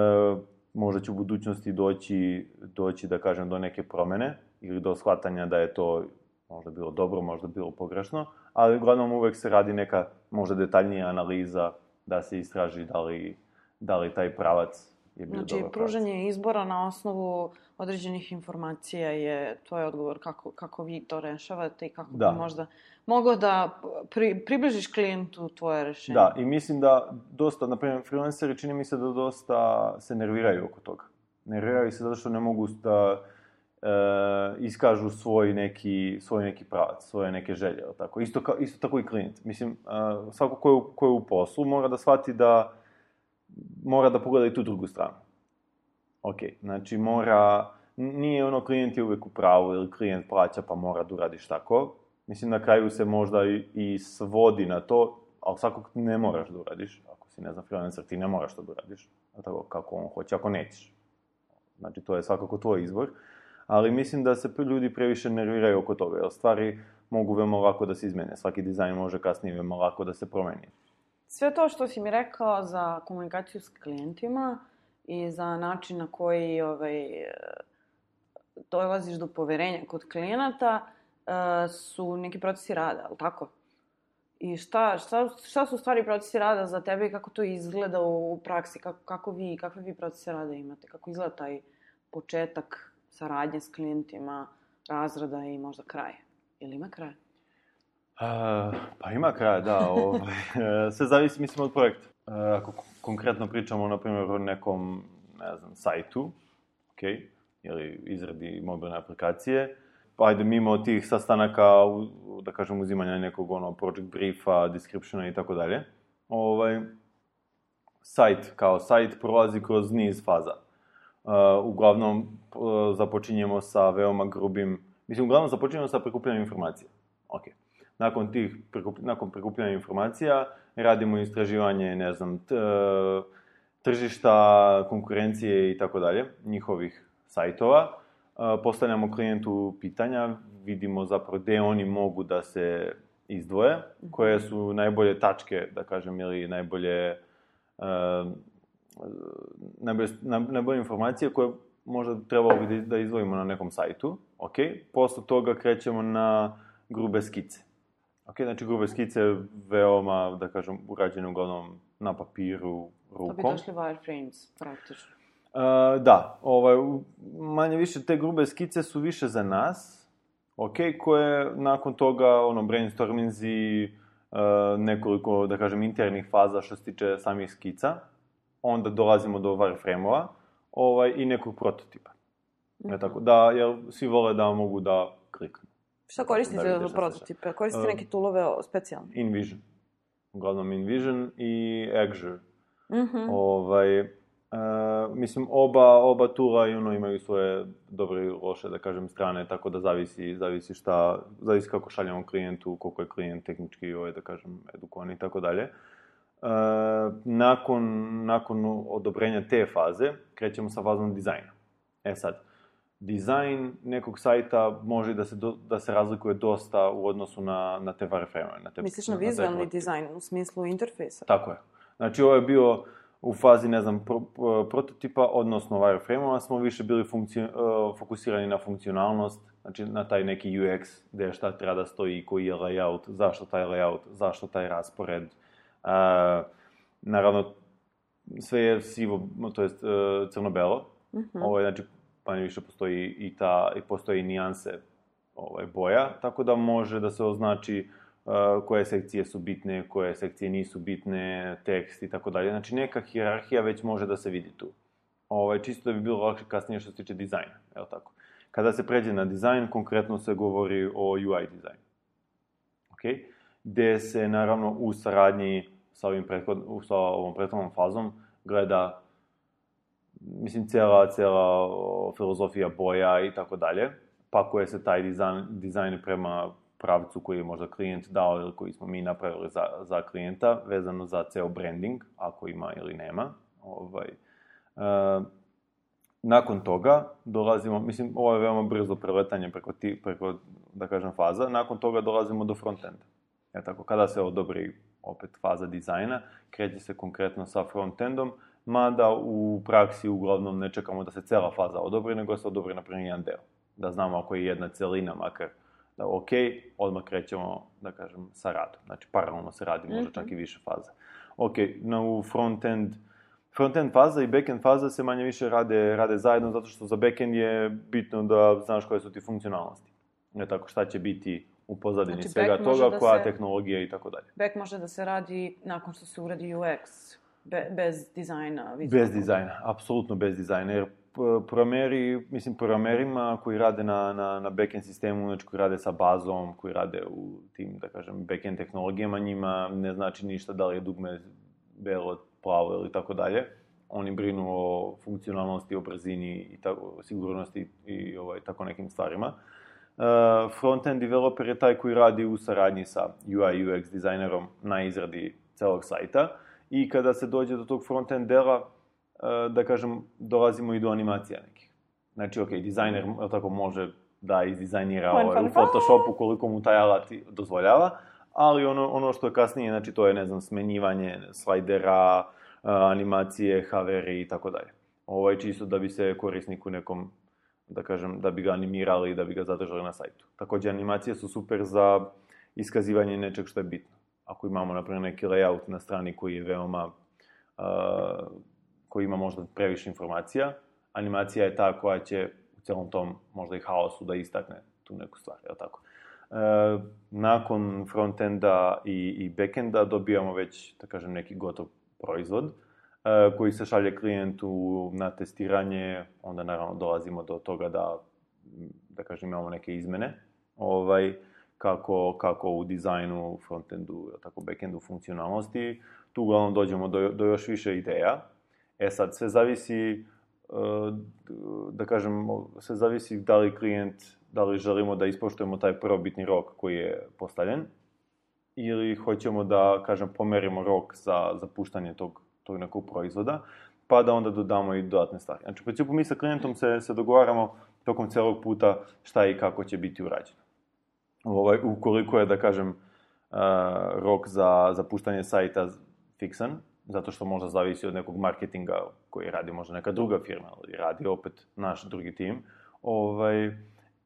možda će u budućnosti doći, doći, da kažem, do neke promene ili do shvatanja da je to možda bilo dobro, možda bilo pogrešno, ali uglavnom uvek se radi neka možda detaljnija analiza da se istraži da li, da li taj pravac je bio znači, dobar pravac. Znači, pružanje izbora na osnovu određenih informacija je tvoj odgovor kako, kako vi to rešavate i kako da. bi možda mogao da pri, približiš klijentu tvoje rešenje. Da, i mislim da dosta, na primjer, freelanceri čini mi se da dosta se nerviraju oko toga. Nerviraju se zato što ne mogu da e, iskažu svoj neki, svoj neki pravac, svoje neke želje. Tako. Isto, ka, isto tako i klijent. Mislim, e, svako ko je, u, ko je u poslu mora da shvati da mora da pogleda i tu drugu stranu. Ok, znači mora, nije ono klijent je uvek u pravu ili klijent plaća pa mora da uradiš tako. Mislim, na kraju se možda i, i svodi na to, ali svakog ne moraš da uradiš. Ako si, ne znam, freelancer, ti ne moraš to da uradiš. Tako kako on hoće, ako nećeš. Znači, to je svakako tvoj izbor. Ali mislim da se ljudi previše nerviraju oko toga, jer stvari mogu veoma lako da se izmene. Svaki dizajn može kasnije veoma lako da se promeni. Sve to što si mi rekao za komunikaciju s klijentima i za način na koji ovaj, dolaziš do poverenja kod klijenata, su neki procesi rada, ali tako? I šta, šta, šta su stvari procesi rada za tebe i kako to izgleda u praksi? Kako, kako vi, kakve vi procese rada imate? Kako izgleda taj početak saradnje s klijentima, razrada i možda kraja? Ili ima kraja? Uh, pa ima kraja, da. Ovaj, sve zavisi, mislim, od projekta. Uh, ako konkretno pričamo, na primjer, o nekom, ne znam, sajtu, ok, ili izradi mobilne aplikacije, pa ajde, mimo tih sastanaka, da kažem, uzimanja nekog, ono, project briefa, descriptiona i tako dalje, ovaj, sajt, kao sajt, prolazi kroz niz faza. Uh, uglavnom, uh, započinjemo sa veoma grubim, mislim, uglavnom započinjemo sa prikupljanjem informacija. Ok. Nakon tih, nakon prikupljanja informacija, radimo istraživanje, ne znam, t, tržišta, konkurencije i tako dalje, njihovih sajtova. Postavljamo klijentu pitanja, vidimo zapravo gde oni mogu da se izdvoje, koje su najbolje tačke, da kažem, ili najbolje, najbolje, najbolje informacije koje možda trebalo bi da izdvojimo na nekom sajtu. Ok, posle toga krećemo na grube skice. Ok, znači grube skice veoma, da kažem, urađene uglavnom na papiru, rukom. To bi došli wireframes, praktično. Uh, da, ovaj, manje više te grube skice su više za nas, ok, koje nakon toga, ono, brainstorminzi, uh, nekoliko, da kažem, internih faza što se tiče samih skica, onda dolazimo do wireframe-ova, ovaj, i nekog prototipa. Mm-hmm. Tako, da, jer svi vole da mogu da kliknu. Šta koristite za prototipe? Koristite neke toolove specijalne? InVision. Uglavnom InVision i Azure. Mm-hmm. Ovaj, uh, mislim, oba, oba toola i ono, imaju svoje dobre i loše, da kažem, strane, tako da zavisi, zavisi šta, zavisi kako šaljamo klijentu, koliko je klijent tehnički, ovaj, da kažem, edukovan i tako dalje. Uh, nakon, nakon odobrenja te faze, krećemo sa fazom dizajna. E sad, dizajn nekog sajta može da se, do, da se razlikuje dosta u odnosu na, na te wireframe. Misliš na vizualni dizajn, u smislu interfejsa? Tako je. Znači, ovo je bio u fazi, ne znam, pro, pro, prototipa, odnosno wireframe-ova, smo više bili funkci, uh, fokusirani na funkcionalnost, znači na taj neki U X, gde šta treba da stoji, koji je layout, zašto taj layout, zašto taj raspored. Uh, naravno, sve je sivo, to jest uh, crno-belo. Mm-hmm. Ovo je, znači, pa više postoji i ta, i postoji nijanse ovaj, boja, tako da može da se označi uh, koje sekcije su bitne, koje sekcije nisu bitne, tekst i tako dalje. Znači, neka hijerarhija već može da se vidi tu. Ovaj, čisto da bi bilo lakše kasnije što se tiče dizajna, je li tako? Kada se pređe na dizajn, konkretno se govori o U I dizajnu. Okay? Gde se, naravno, u saradnji sa, ovim prethod, sa ovom prethodnom fazom gleda, mislim, cijela, cijela filozofija boja i tako dalje, pakuje se taj dizajn, dizajn prema pravcu koji je možda klijent dao ili koji smo mi napravili za, za klijenta, vezano za ceo branding, ako ima ili nema. Ovaj, uh, nakon toga dolazimo, mislim, ovo je veoma brzo preletanje preko, ti, preko, da kažem, faza, nakon toga dolazimo do frontenda. Ja, tako, kada se odobri opet faza dizajna, kreće se konkretno sa frontendom, mada u praksi uglavnom ne čekamo da se cela faza odobri, nego se odobri na primjer jedan deo. Da znamo ako je jedna celina, makar da ok, odmah krećemo, da kažem, sa radom. Znači, paralelno se radi, možda čak i više faza. Ok, no, u frontend, frontend faza i backend faza se manje više rade, rade zajedno, zato što za backend je bitno da znaš koje su ti funkcionalnosti. Ne tako, šta će biti u pozadini znači, svega toga, da koja se, tehnologija i tako dalje. Back može da se radi nakon što se uradi U X. Be, bez dizajna. Bez dizajna, apsolutno bez dizajna, jer programeri, mislim, programerima koji rade na, na, na backend sistemu, znači koji rade sa bazom, koji rade u tim, da kažem, backend tehnologijama, njima ne znači ništa da li je dugme belo, plavo ili tako dalje. Oni brinu o funkcionalnosti, o brzini i tako, sigurnosti i ovaj, tako nekim stvarima. Uh, Frontend developer je taj koji radi u saradnji sa U I U X dizajnerom na izradi celog sajta. I kada se dođe do tog front-end dela, da kažem, dolazimo i do animacija nekih. Znači, ok, dizajner tako može da izdizajnira ovaj, u Photoshopu koliko mu taj alat dozvoljava, ali ono, ono što je kasnije, znači, to je, ne znam, smenjivanje slajdera, animacije, haveri i tako dalje. Ovo je čisto da bi se korisniku nekom, da kažem, da bi ga animirali i da bi ga zadržali na sajtu. Takođe, animacije su super za iskazivanje nečeg što je bitno. Ako imamo, na primjer, neki layout na strani koji je veoma, uh, koji ima možda previše informacija, animacija je ta koja će u celom tom možda i haosu da istakne tu neku stvar, je li tako? nakon frontenda i, i backenda dobijamo već, da kažem, neki gotov proizvod koji se šalje klijentu na testiranje, onda naravno dolazimo do toga da, da kažem, imamo neke izmene, ovaj, kako, kako u dizajnu, frontendu, tako backendu funkcionalnosti. Tu uglavnom dođemo do, do još više ideja. E sad, sve zavisi, da kažem, sve zavisi da li klijent, da li želimo da ispoštujemo taj prvobitni rok koji je postavljen, ili hoćemo da, kažem, pomerimo rok za, za puštanje tog, tog nekog proizvoda, pa da onda dodamo i dodatne stvari. Znači, u principu mi sa klijentom se, se dogovaramo tokom celog puta šta i kako će biti urađeno. Ovaj, ukoliko je, da kažem, uh, rok za, za puštanje sajta fiksan, zato što možda zavisi od nekog marketinga koji radi možda neka druga firma, ili radi opet naš drugi tim, ovaj,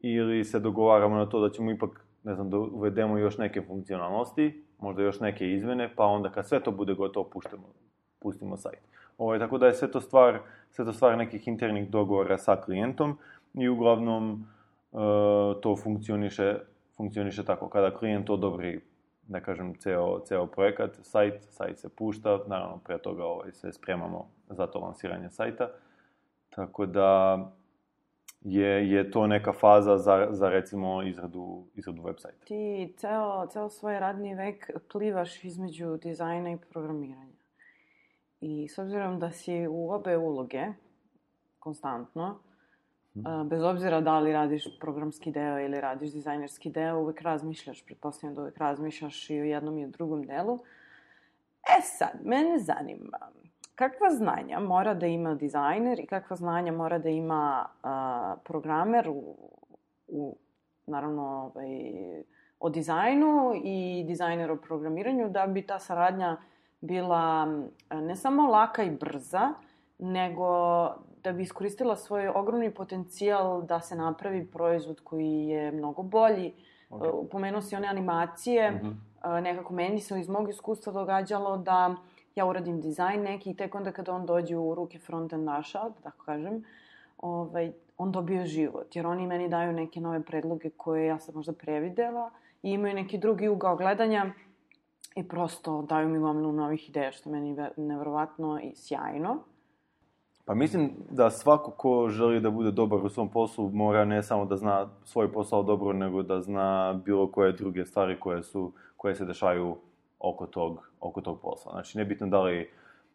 ili se dogovaramo na to da ćemo ipak, ne znam, da uvedemo još neke funkcionalnosti, možda još neke izmene, pa onda kad sve to bude gotovo, puštimo, pustimo sajt. Ovaj, tako da je sve to stvar, sve to stvar nekih internih dogovora sa klijentom i uglavnom uh, to funkcioniše, funkcioniše tako. Kada klijent odobri, da kažem, ceo, ceo projekat, sajt, sajt se pušta, naravno pre toga ovaj, se spremamo za to lansiranje sajta, tako da je, je to neka faza za, za recimo izradu, izradu web sajta. Ti ceo, ceo svoj radni vek plivaš između dizajna i programiranja. I s obzirom da si u obe uloge, konstantno, hmm. bez obzira da li radiš programski deo ili radiš dizajnerski deo, uvek razmišljaš, pretpostavljam da uvek razmišljaš i o jednom i o drugom delu. E sad, mene zanima, kakva znanja mora da ima dizajner i kakva znanja mora da ima uh, programer u, u naravno, ovaj, o dizajnu i dizajner o programiranju, da bi ta saradnja bila ne samo laka i brza, nego da bi iskoristila svoj ogromni potencijal da se napravi proizvod koji je mnogo bolji. Okay. Pomenuo si one animacije, mm-hmm. nekako meni se iz mog iskustva događalo da ja uradim dizajn neki i tek onda kada on dođe u ruke frontendaša, da tako kažem, ovaj, on dobije život. Jer oni meni daju neke nove predloge koje ja sam možda previdela i imaju neki drugi ugao gledanja i prosto daju mi gomilu novih ideja, što meni je nevjerovatno i sjajno. Pa mislim da svako ko želi da bude dobar u svom poslu mora ne samo da zna svoj posao dobro, nego da zna bilo koje druge stvari koje su, koje se dešavaju oko tog, oko tog posla. Znači, nebitno da li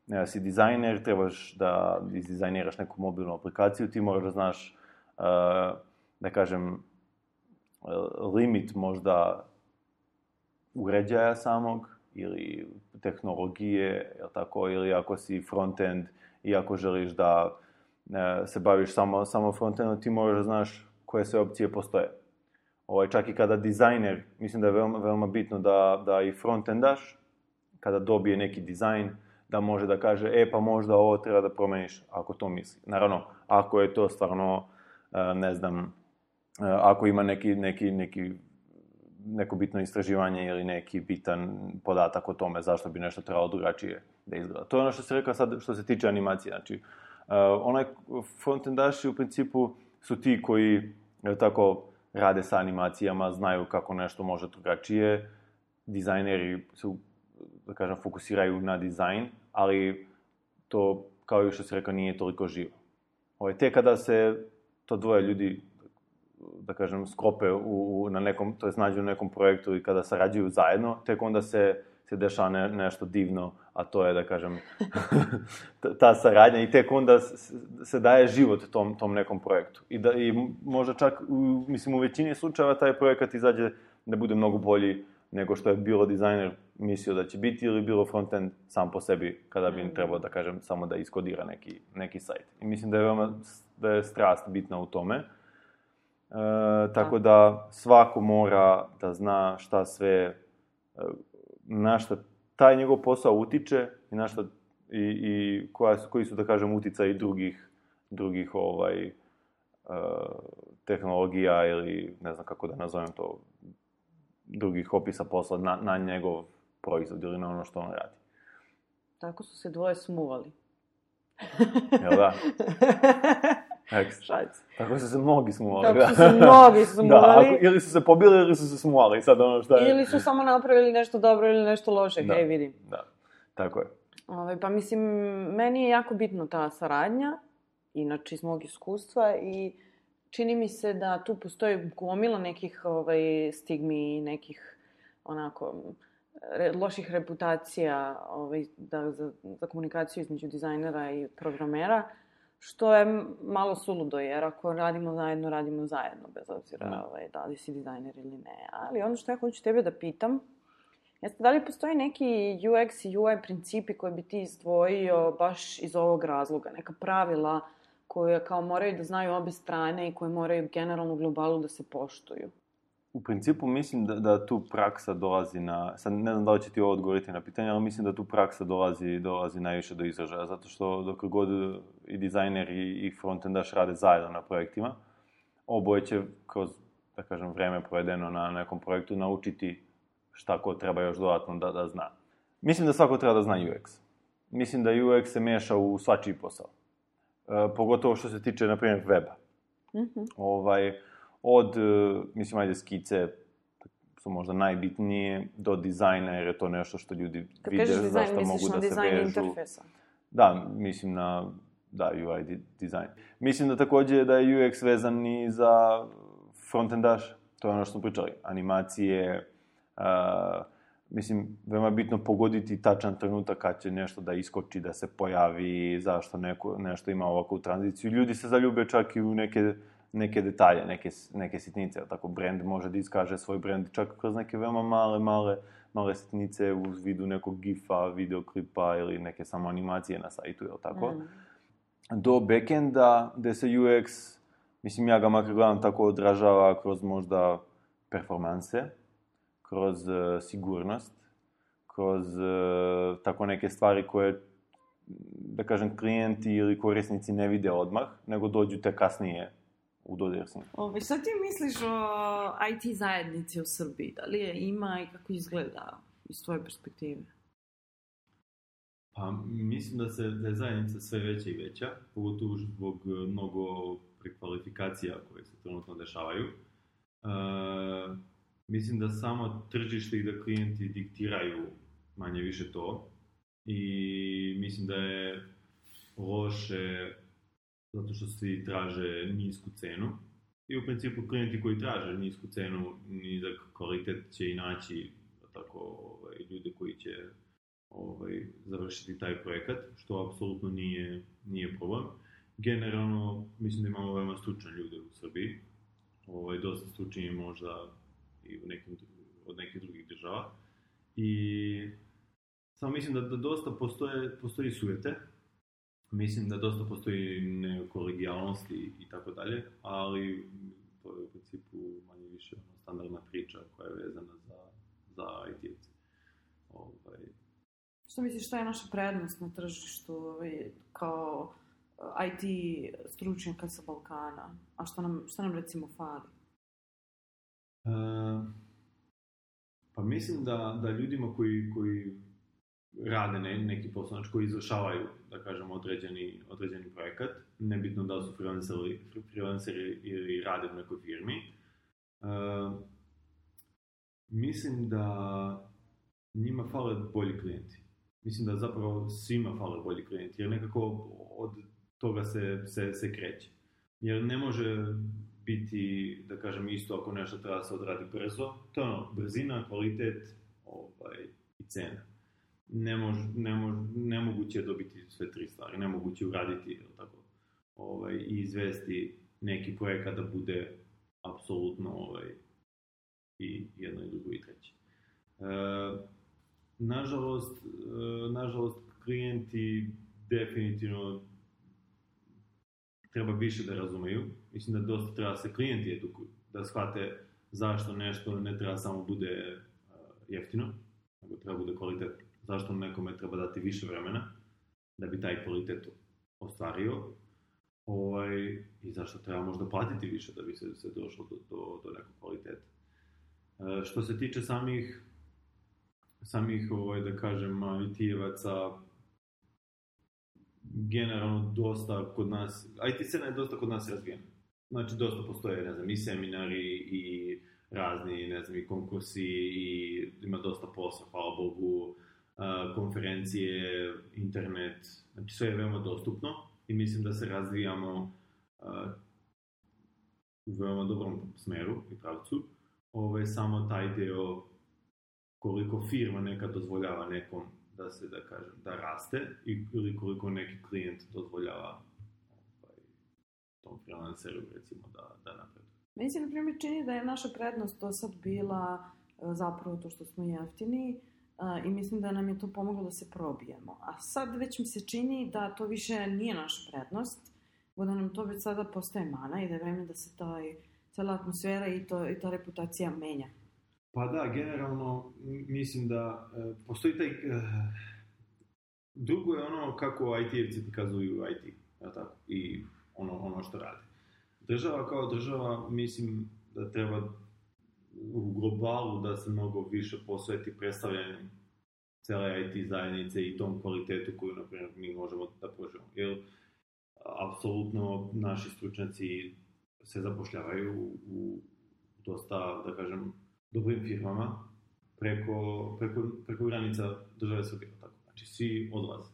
ne, si dizajner, trebaš da izdizajniraš neku mobilnu aplikaciju, ti moraš da znaš, uh, da kažem, uh, limit možda uređaja samog ili tehnologije, jel tako, ili ako si frontend i ako želiš da uh, se baviš samo, samo frontendom, ti moraš da znaš koje sve opcije postoje. Ovaj, čak i kada dizajner, mislim da je veoma, veoma bitno da, da i frontendaš, kada dobije neki dizajn, da može da kaže, e pa možda ovo treba da promeniš, ako to misli. Naravno, ako je to stvarno, ne znam, ako ima neki, neki, neki, neko bitno istraživanje ili neki bitan podatak o tome zašto bi nešto trebalo drugačije da izgleda. To je ono što se rekao sad što se tiče animacije. Znači, onaj frontendaši u principu su ti koji, tako, rade sa animacijama, znaju kako nešto može drugačije. Dizajneri su, da kažem, fokusiraju na dizajn, ali to, kao i što se rekao, nije toliko živo. Ovaj, te kada se to dvoje ljudi, da kažem, sklope u, u, na nekom, to jest nađu u nekom projektu i kada sarađuju zajedno, tek onda se, se dešava ne, nešto divno, a to je, da kažem, ta saradnja i tek onda se daje život tom, tom nekom projektu. I, da, i možda čak, u, mislim, u većini slučajeva taj projekat izađe da bude mnogo bolji nego što je bilo dizajner mislio da će biti ili bilo frontend sam po sebi kada bi trebao, da kažem, samo da iskodira neki, neki sajt. I mislim da je veoma, da je strast bitna u tome. E, tako da svako mora da zna šta sve, na šta taj njegov posao utiče i na šta i, i koja, koji su, da kažem, uticaji drugih, drugih ovaj, uh, tehnologija ili ne znam kako da nazovem to, drugih opisa posla na, na njegov proizvod ili na ono što on radi. Tako su se dvoje smuvali. Jel da? Tekst. Šac. Tako su se mnogi smuvali. Tako da. su se mnogi smuvali. Da, ako, ili su se pobili ili su se smuvali. Sad ono šta je. Ili su samo napravili nešto dobro ili nešto loše, Da. hej vidim. Da, tako je. Ovaj, pa mislim, meni je jako bitno ta saradnja, inače iz mog iskustva, i čini mi se da tu postoji gomila nekih ovaj, stigmi i nekih onako re, loših reputacija ovaj, da, za, za komunikaciju između dizajnera i programera, što je malo suludo, jer ako radimo zajedno, radimo zajedno, bez obzira Da. ovaj, da li si dizajner ili ne. Ali ono što ja hoću tebe da pitam, jeste da li postoji neki U X i U I principi koje bi ti izdvojio baš iz ovog razloga? Neka pravila koje kao moraju da znaju obe strane i koje moraju generalno u globalu da se poštuju? U principu mislim da, da tu praksa dolazi na... Sad ne znam da li će ti ovo odgovoriti na pitanje, ali mislim da tu praksa dolazi, dolazi najviše do izražaja. Zato što dok god i dizajner i, i frontendaš rade zajedno na projektima, oboje će kroz, da kažem, vreme provedeno na nekom projektu naučiti šta ko treba još dodatno da, da zna. Mislim da svako treba da zna U X. Mislim da U X se meša u svačiji posao. E, pogotovo što se tiče, na primjer, weba. Mm-hmm. Ovaj, od, mislim, ajde, skice su možda najbitnije, do dizajna, jer je to nešto što ljudi Kad vide, kažeš dizajn, zašto mogu da se dizajn vežu. interfejsa. Da, mislim na, da, U I dizajn. Mislim da takođe da je U X vezan i za frontendaš, to je ono što smo pričali, animacije, uh, mislim, veoma je bitno pogoditi tačan trenutak kad će nešto da iskoči, da se pojavi, zašto neko, nešto ima ovakvu tranziciju. Ljudi se zaljube čak i u neke, neke detalje, neke, neke sitnice. Tako, brand može da iskaže svoj brand čak kroz neke veoma male, male, male sitnice u vidu nekog gifa, videoklipa ili neke samo animacije na sajtu, jel tako? Mm. Do backenda, gde se U X, mislim, ja ga makar gledam tako odražava kroz možda performanse, kroz uh, sigurnost, kroz uh, tako neke stvari koje, da kažem, klijenti ili korisnici ne vide odmah, nego dođu te kasnije u dodir s njim. Ove, šta ti misliš o I T zajednici u Srbiji? Da li je ima i kako izgleda iz tvoje perspektive? Pa, mislim da, se, da je zajednica sve veća i veća, pogotovo zbog mnogo prekvalifikacija koje se trenutno dešavaju. Uh, Mislim da samo tržište i da klijenti diktiraju manje više to. I mislim da je loše zato što svi traže nisku cenu. I u principu klijenti koji traže nisku cenu, nizak kvalitet će i naći tako, ovaj, ljude koji će ovaj, završiti taj projekat, što apsolutno nije, nije problem. Generalno, mislim da imamo veoma stručne ljude u Srbiji. Ovaj, dosta stručniji možda i u nekim, od nekih drugih država. I samo mislim da, da dosta postoje, postoji sujete, mislim da dosta postoji nekolegijalnost i, i tako dalje, ali to je u principu manje više ono, standardna priča koja je vezana za, za I T-evce. Ovaj... Što misliš, šta je naša prednost na tržištu ovaj, kao I T stručnjaka sa Balkana? A što nam, što nam recimo fali? Uh, pa mislim da, da ljudima koji, koji rade ne, neki posao, znači koji izvršavaju, da kažem, određeni, određeni projekat, nebitno da li su freelanceri, freelanceri ili rade u nekoj firmi, uh, mislim da njima fale bolji klijenti. Mislim da zapravo svima fale bolji klijenti, jer nekako od toga se, se, se kreće. Jer ne može biti, da kažem, isto ako nešto treba se odradi brzo. To je ono, brzina, kvalitet ovaj, i cena. Ne mož, ne mož, nemoguće je dobiti sve tri stvari, nemoguće uraditi tako, ovaj, i izvesti neki projekat da bude apsolutno ovaj, i jedno i drugo i treće. E, nažalost, e, nažalost, klijenti definitivno treba više da razumeju. Mislim da dosta treba se klijenti edukuju, da shvate zašto nešto ne treba samo bude uh, jeftino, nego treba bude kvalitetno. Zašto nekome treba dati više vremena da bi taj kvalitet ostvario, ovaj, i zašto treba možda platiti više da bi se, se došlo do, do, do nekog kvaliteta. Uh, što se tiče samih, samih ovaj, da kažem, I T-evaca, generalno dosta kod nas, I T scena je dosta kod nas razvijena. Znači, dosta postoje, ne znam, i seminari i razni, ne znam, i konkursi i ima dosta posla, hvala Bogu, konferencije, internet, znači sve je veoma dostupno i mislim da se razvijamo u veoma dobrom smeru i pravcu. Ovo je samo taj deo koliko firma nekad dozvoljava nekom da se, da kažem, da raste ili koliko neki klijent dozvoljava ovaj, tom freelanceru, recimo, da, da napreduje. Meni se, na primjer, čini da je naša prednost do sad bila zapravo to što smo jeftini i mislim da nam je to pomoglo da se probijemo. A sad već mi se čini da to više nije naša prednost, da nam to već sada postaje mana i da je vreme da se taj, cela atmosfera i, to, i ta reputacija menja. Pa da, generalno mislim da e, postoji taj... E, drugo je ono kako I T-evci prikazuju I T, ja tako, i ono, ono što rade. Država kao država, mislim da treba u globalu da se mnogo više posveti predstavljanju cele I T zajednice i tom kvalitetu koju, na primjer, mi možemo da pružimo. Jer, apsolutno, naši stručnjaci se zapošljavaju u, u dosta, da kažem, dobrim firmama preko, preko, preko granica države Srbije. Tako. Znači, svi odlaze.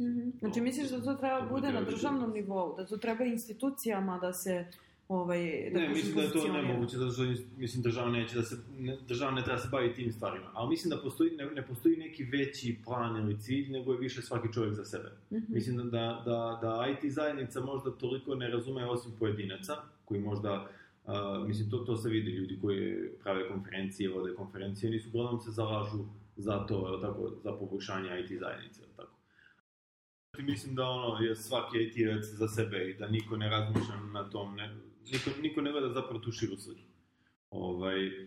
Mm-hmm. Znači, misliš da to treba bude na državnom nivou? Da to treba institucijama da se... Ovaj, da ne, mislim da je to nemoguće, zato što mislim država neće da se, ne, država ne treba se baviti tim stvarima. Ali mislim da postoji, ne, ne postoji neki veći plan ili cilj, nego je više svaki čovjek za sebe. Mm-hmm. Mislim da, da, da I T zajednica možda toliko ne razume osim pojedinaca, koji možda, uh, mislim, to, to se vidi, ljudi koji prave konferencije, vode konferencije, nisu uglavnom se zalažu za to, tako, za poboljšanje I T zajednice, tako. Mislim da ono je svaki I T-evac za sebe i da niko ne razmišlja na tom, ne, niko, niko ne gleda zapravo tu širu sliku. Ovaj, uh,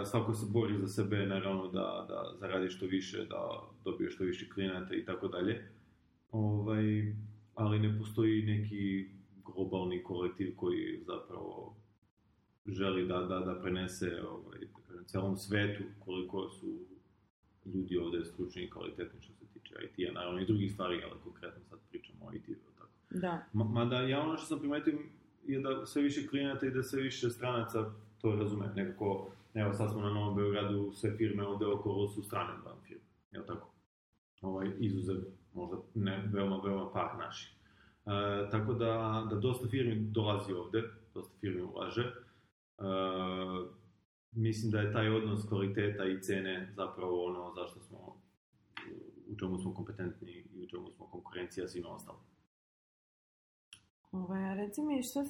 svako se bori za sebe, naravno da, da zaradi što više, da dobije što više klijenata i tako dalje. Ovaj, ali ne postoji neki globalni kolektiv koji zapravo želi da, da, da prenese ovaj, da kažem, celom svetu koliko su ljudi ovdje stručni i kvalitetni što se tiče I T-a, naravno i drugih stvari, ali konkretno sad pričamo o I T-u. Tako. Da. Mada ja ono što sam primetio je da sve više klijenata i da sve više stranaca to razume. Nekako, evo sad smo na Novom Beogradu, sve firme ovdje okolo su strane van firme, jel tako? Ovaj, izuzev, možda ne, veoma, veoma par naših. E, tako da, da dosta firmi dolazi ovdje, dosta firmi ulaže. E, mislim da je taj odnos kvaliteta i cene zapravo ono zašto smo, u čemu smo kompetentni i u čemu smo konkurencija svima ostali. Ovaj, reci mi, šta,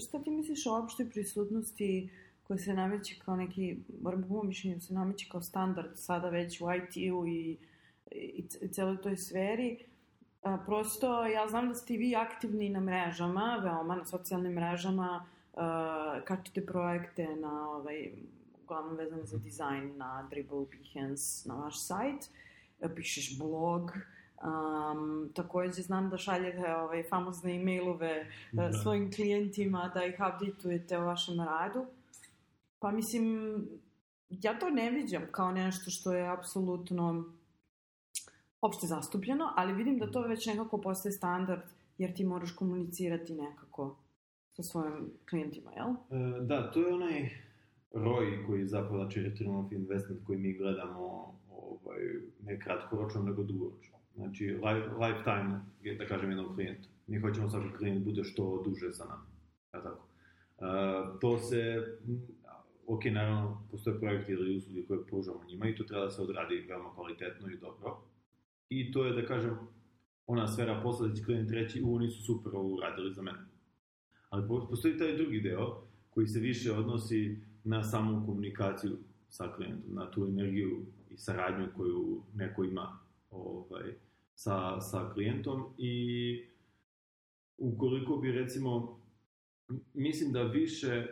šta ti misliš o opštoj prisutnosti koja se nameće kao neki, moram po mojom mišljenju, se nameće kao standard sada već u I T-u i, i, i celoj toj sferi? A, prosto, ja znam da ste vi aktivni na mrežama, veoma, na socijalnim mrežama, a, kačete projekte na, ovaj, uglavnom vezane za dizajn, na Dribbble, Behance, na vaš sajt, pišeš blog. Um, također znam da šaljete ovaj, famozne e-mailove da. svojim klijentima, da ih updateujete o vašem radu. Pa mislim, ja to ne viđam kao nešto što je apsolutno opšte zastupljeno, ali vidim da to već nekako postaje standard, jer ti moraš komunicirati nekako sa svojim klijentima, jel? E, da, to je onaj R O I koji zapravo, znači Return of Investment koji mi gledamo ovaj, ne kratkoročno, nego dugoročno. Znači, life, lifetime, da kažem, jednom klijentu. Mi hoćemo svaki klijent bude što duže sa nama. Ja, tako. Uh, to se, ok, naravno, postoje projekti ili usluge koje pružamo njima i to treba da se odradi veoma kvalitetno i dobro. I to je, da kažem, ona sfera posla da će klijent reći, u, oni su super uradili za mene. Ali postoji taj drugi deo koji se više odnosi na samu komunikaciju sa klijentom, na tu energiju i saradnju koju neko ima ovaj, sa, sa klijentom i ukoliko bi recimo, mislim da više,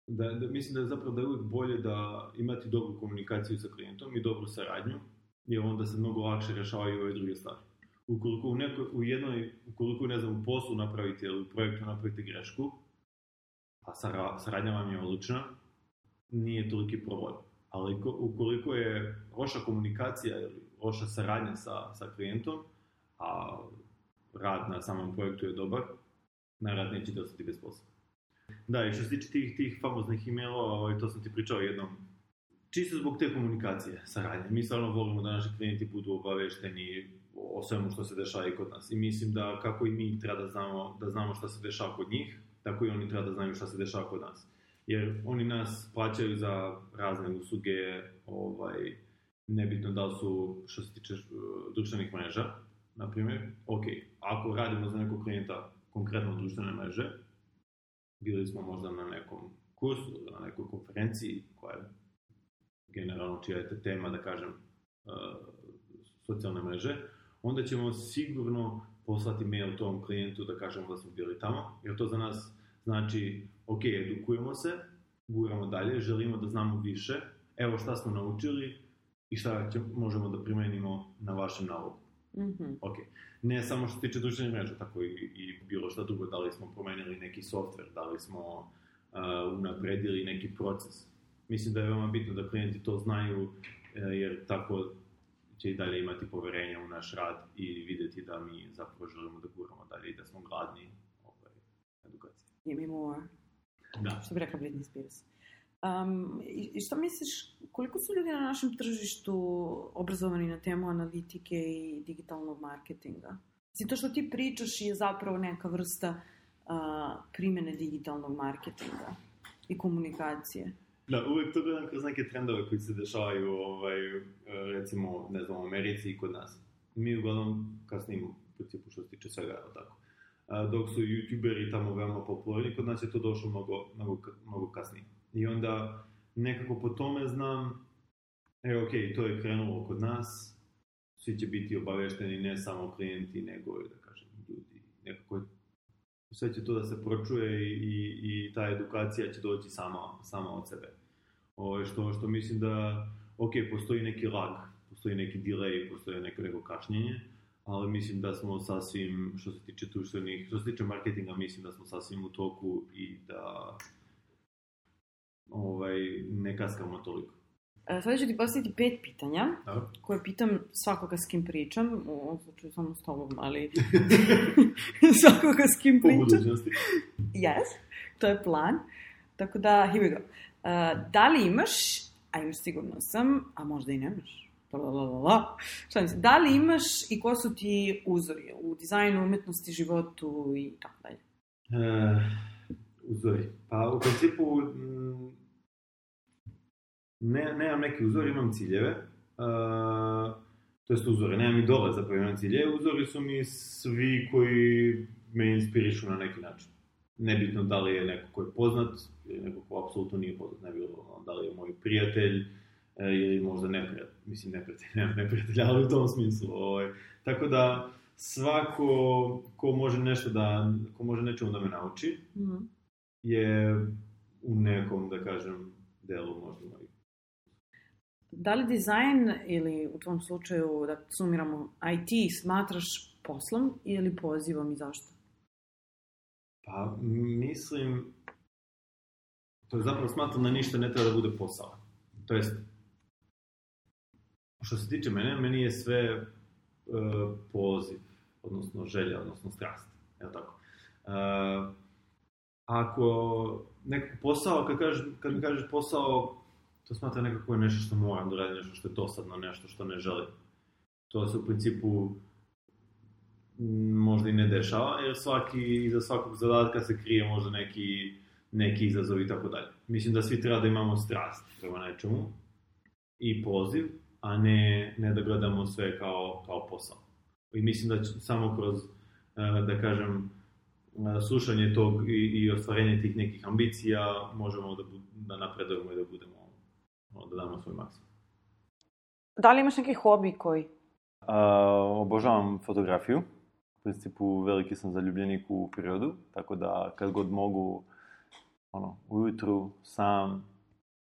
da, da, mislim da je zapravo da je uvijek bolje da imati dobru komunikaciju sa klijentom i dobru saradnju, jer onda se mnogo lakše rešavaju ove druge stvari. Ukoliko u, nekoj, u jednoj, ukoliko ne znam, u poslu napravite ili u projektu napravite grešku, a saradnja vam je odlična, nije toliki problem. Ali ukoliko je loša komunikacija ili loša saradnja sa, sa klijentom, a rad na samom projektu je dobar, najrad nećete ostati bez posla. Da, i što se tiče tih, tih famoznih e-mailova, to sam ti pričao jednom, čisto zbog te komunikacije, saradnje. Mi stvarno volimo da naši klijenti budu obavešteni o svemu što se dešava i kod nas. I mislim da kako i mi treba da znamo, da znamo šta se dešava kod njih, tako i oni treba da znaju šta se dešava kod nas. Jer oni nas plaćaju za razne usluge, ovaj, nebitno da li su što se tiče društvenih mreža, na primjer. Ok, ako radimo za nekog klijenta konkretno društvene mreže, bili smo možda na nekom kursu, na nekoj konferenciji koja je generalno čija je tema, da kažem, uh, socijalne mreže, onda ćemo sigurno poslati mail tom klijentu da kažemo da smo bili tamo, jer to za nas znači, ok, edukujemo se, guramo dalje, želimo da znamo više, evo šta smo naučili i šta će, možemo da primenimo na vašem nalogu. Mm-hmm. Ok, ne samo što se tiče društvenih mreža, tako i, i bilo šta drugo, da li smo promenili neki software, da li smo uh, unapredili neki proces. Mislim da je veoma bitno da klijenti to znaju, jer tako će i dalje imati poverenja u naš rad i vidjeti da mi zapravo želimo da guramo dalje i da smo gladni ovaj, edukacije. Give me more. Da. Što bi rekla Britney Spears. Um, I što misliš, koliko su ljudi na našem tržištu obrazovani na temu analitike i digitalnog marketinga? Znači, to što ti pričaš je zapravo neka vrsta uh, primjene digitalnog marketinga i komunikacije. Da, uvijek to gledam kroz neke trendove koji se dešavaju, ovaj, recimo, ne znam, u Americi i kod nas. Mi uglavnom kasnimo, u principu, što se tiče svega, tako. A, dok su youtuberi tamo veoma popularni, kod nas je to došlo mnogo, mnogo, mnogo kasnije. I onda nekako po tome znam, e, ok, to je krenulo kod nas, svi će biti obavešteni, ne samo klijenti, nego, da kažem, ljudi. Nekako sve će to da se pročuje i, i, i ta edukacija će doći sama, sama od sebe. O, što, što mislim da, ok, postoji neki lag, postoji neki delay, postoji neko, neko kašnjenje, ali mislim da smo sasvim, što se tiče društvenih, što se tiče marketinga, mislim da smo sasvim u toku i da ovaj, ne kaskamo toliko. Sada ću ti postaviti pet pitanja, da, koje pitam svakoga s kim pričam, u ovom slučaju samo s tobom, ali svakoga s kim pričam. Po budućnosti. Yes, to je plan. Tako da, here we go. Uh, da li imaš, a imaš sigurno sam, a možda i nemaš, šta mislim, da li imaš i ko su ti uzori u dizajnu, umetnosti, životu i tako dalje? Uh, uzori. Pa u principu m, ne, nemam neki uzor, imam ciljeve. Uh, to jest uzore, nemam idole, zapravo imam ciljeve. Uzori su mi svi koji me inspirišu na neki način. Nebitno da li je neko ko je poznat ili neko ko apsolutno nije poznat, ne bilo da li je moj prijatelj e, ili možda neprijatelj, mislim neprijatelj, nemam neprijatelja, ali u tom smislu. Ovaj. Tako da svako ko može nešto da, ko može nečemu da me nauči, mm-hmm. je u nekom, da kažem, delu možda moj. Da li dizajn ili u tom slučaju, da sumiramo, I T smatraš poslom ili pozivom i zašto? Pa, mislim, to je zapravo smatram da ništa ne treba da bude posao. To jest, što se tiče mene, meni je sve uh, poziv, odnosno želja, odnosno strast. Je li tako? Uh, ako nekako posao, kad, kažeš, kad mi kažeš posao, to smatram nekako je nešto što moram da radim, nešto što je dosadno, nešto što ne želim. To se u principu možda i ne dešava, jer svaki, iza svakog zadatka se krije možda neki, neki izazov i tako dalje. Mislim da svi treba da imamo strast prema nečemu i poziv, a ne, ne da gledamo sve kao, kao posao. I mislim da samo kroz, da kažem, slušanje tog i, i ostvarenje tih nekih ambicija možemo da, da napredujemo i da budemo, da damo svoj maksimum. Da li imaš neki hobi koji? Uh, obožavam fotografiju. U principu veliki sam zaljubljenik u prirodu, tako da kad god mogu, ono, ujutru, sam,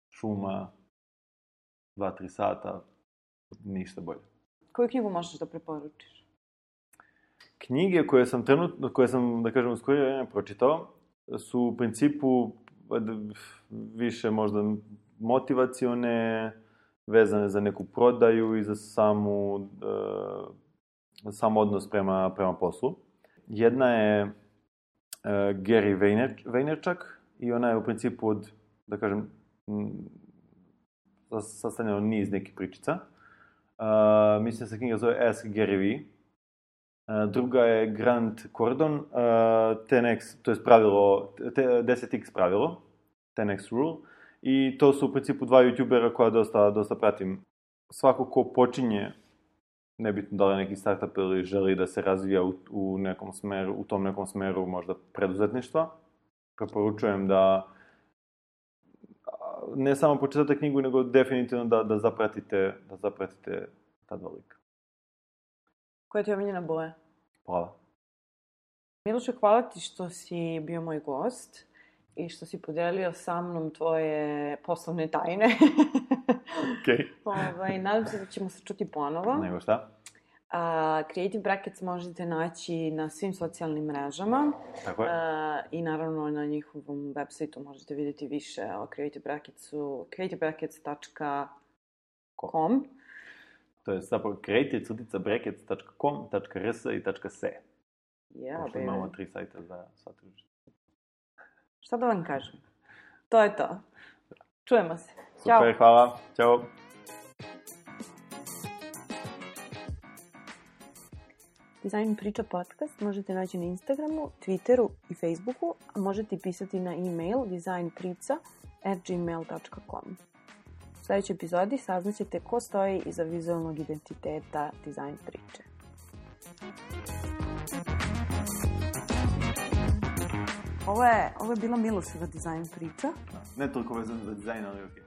šuma, dva, tri sata, ništa bolje. Koju knjigu možeš da preporučiš? Knjige koje sam trenutno, koje sam, da kažem, u skorije vreme pročitao, su u principu više možda motivacione, vezane za neku prodaju i za samu, uh, sam odnos prema, prema poslu. Jedna je uh, Gary Vayner, Vaynerchuk i ona je u principu od, da kažem, m, sastavljena od niz nekih pričica. Uh, mislim da se knjiga zove Ask Gary Vee. Uh, druga je Grant Cardone, uh, ten X, to je pravilo, deset X pravilo, ten X rule. I to su u principu dva youtubera koja dosta, dosta pratim. Svako ko počinje, nebitno da li je neki startup ili želi da se razvija u, u nekom smeru, u tom nekom smeru možda preduzetništva, preporučujem da ne samo pročitate knjigu, nego definitivno da, da zapratite, da zapratite ta dva lika. Koja ti je omiljena boja? Plava. Miloše, hvala ti što si bio moj gost i što si podelio sa mnom tvoje poslovne tajne. Okej. Ovaj, nadam se da ćemo se čuti ponovo. Nego šta? A, Creative Brackets možete naći na svim socijalnim mrežama. Tako je. A, I naravno na njihovom websajtu možete vidjeti više o Creative Bracketsu, creative brackets dot com. To je zapravo creative crtica brackets dot com dot r s i .s. Yeah, Pošto imamo tri sajta za sva tržišta. Šta da vam kažem? To je to. Čujemo se. Super, Ćao. hvala. Ćao. Design priča podcast možete naći na Instagramu, Twitteru i Facebooku, a možete pisati na e-mail designprica at gmail dot com. U sljedećoj epizodi saznaćete ko stoji iza vizualnog identiteta Design priče. Ovo je, ovo je bila Miloševa Design priča. Ne toliko vezano za dizajn, ali okej.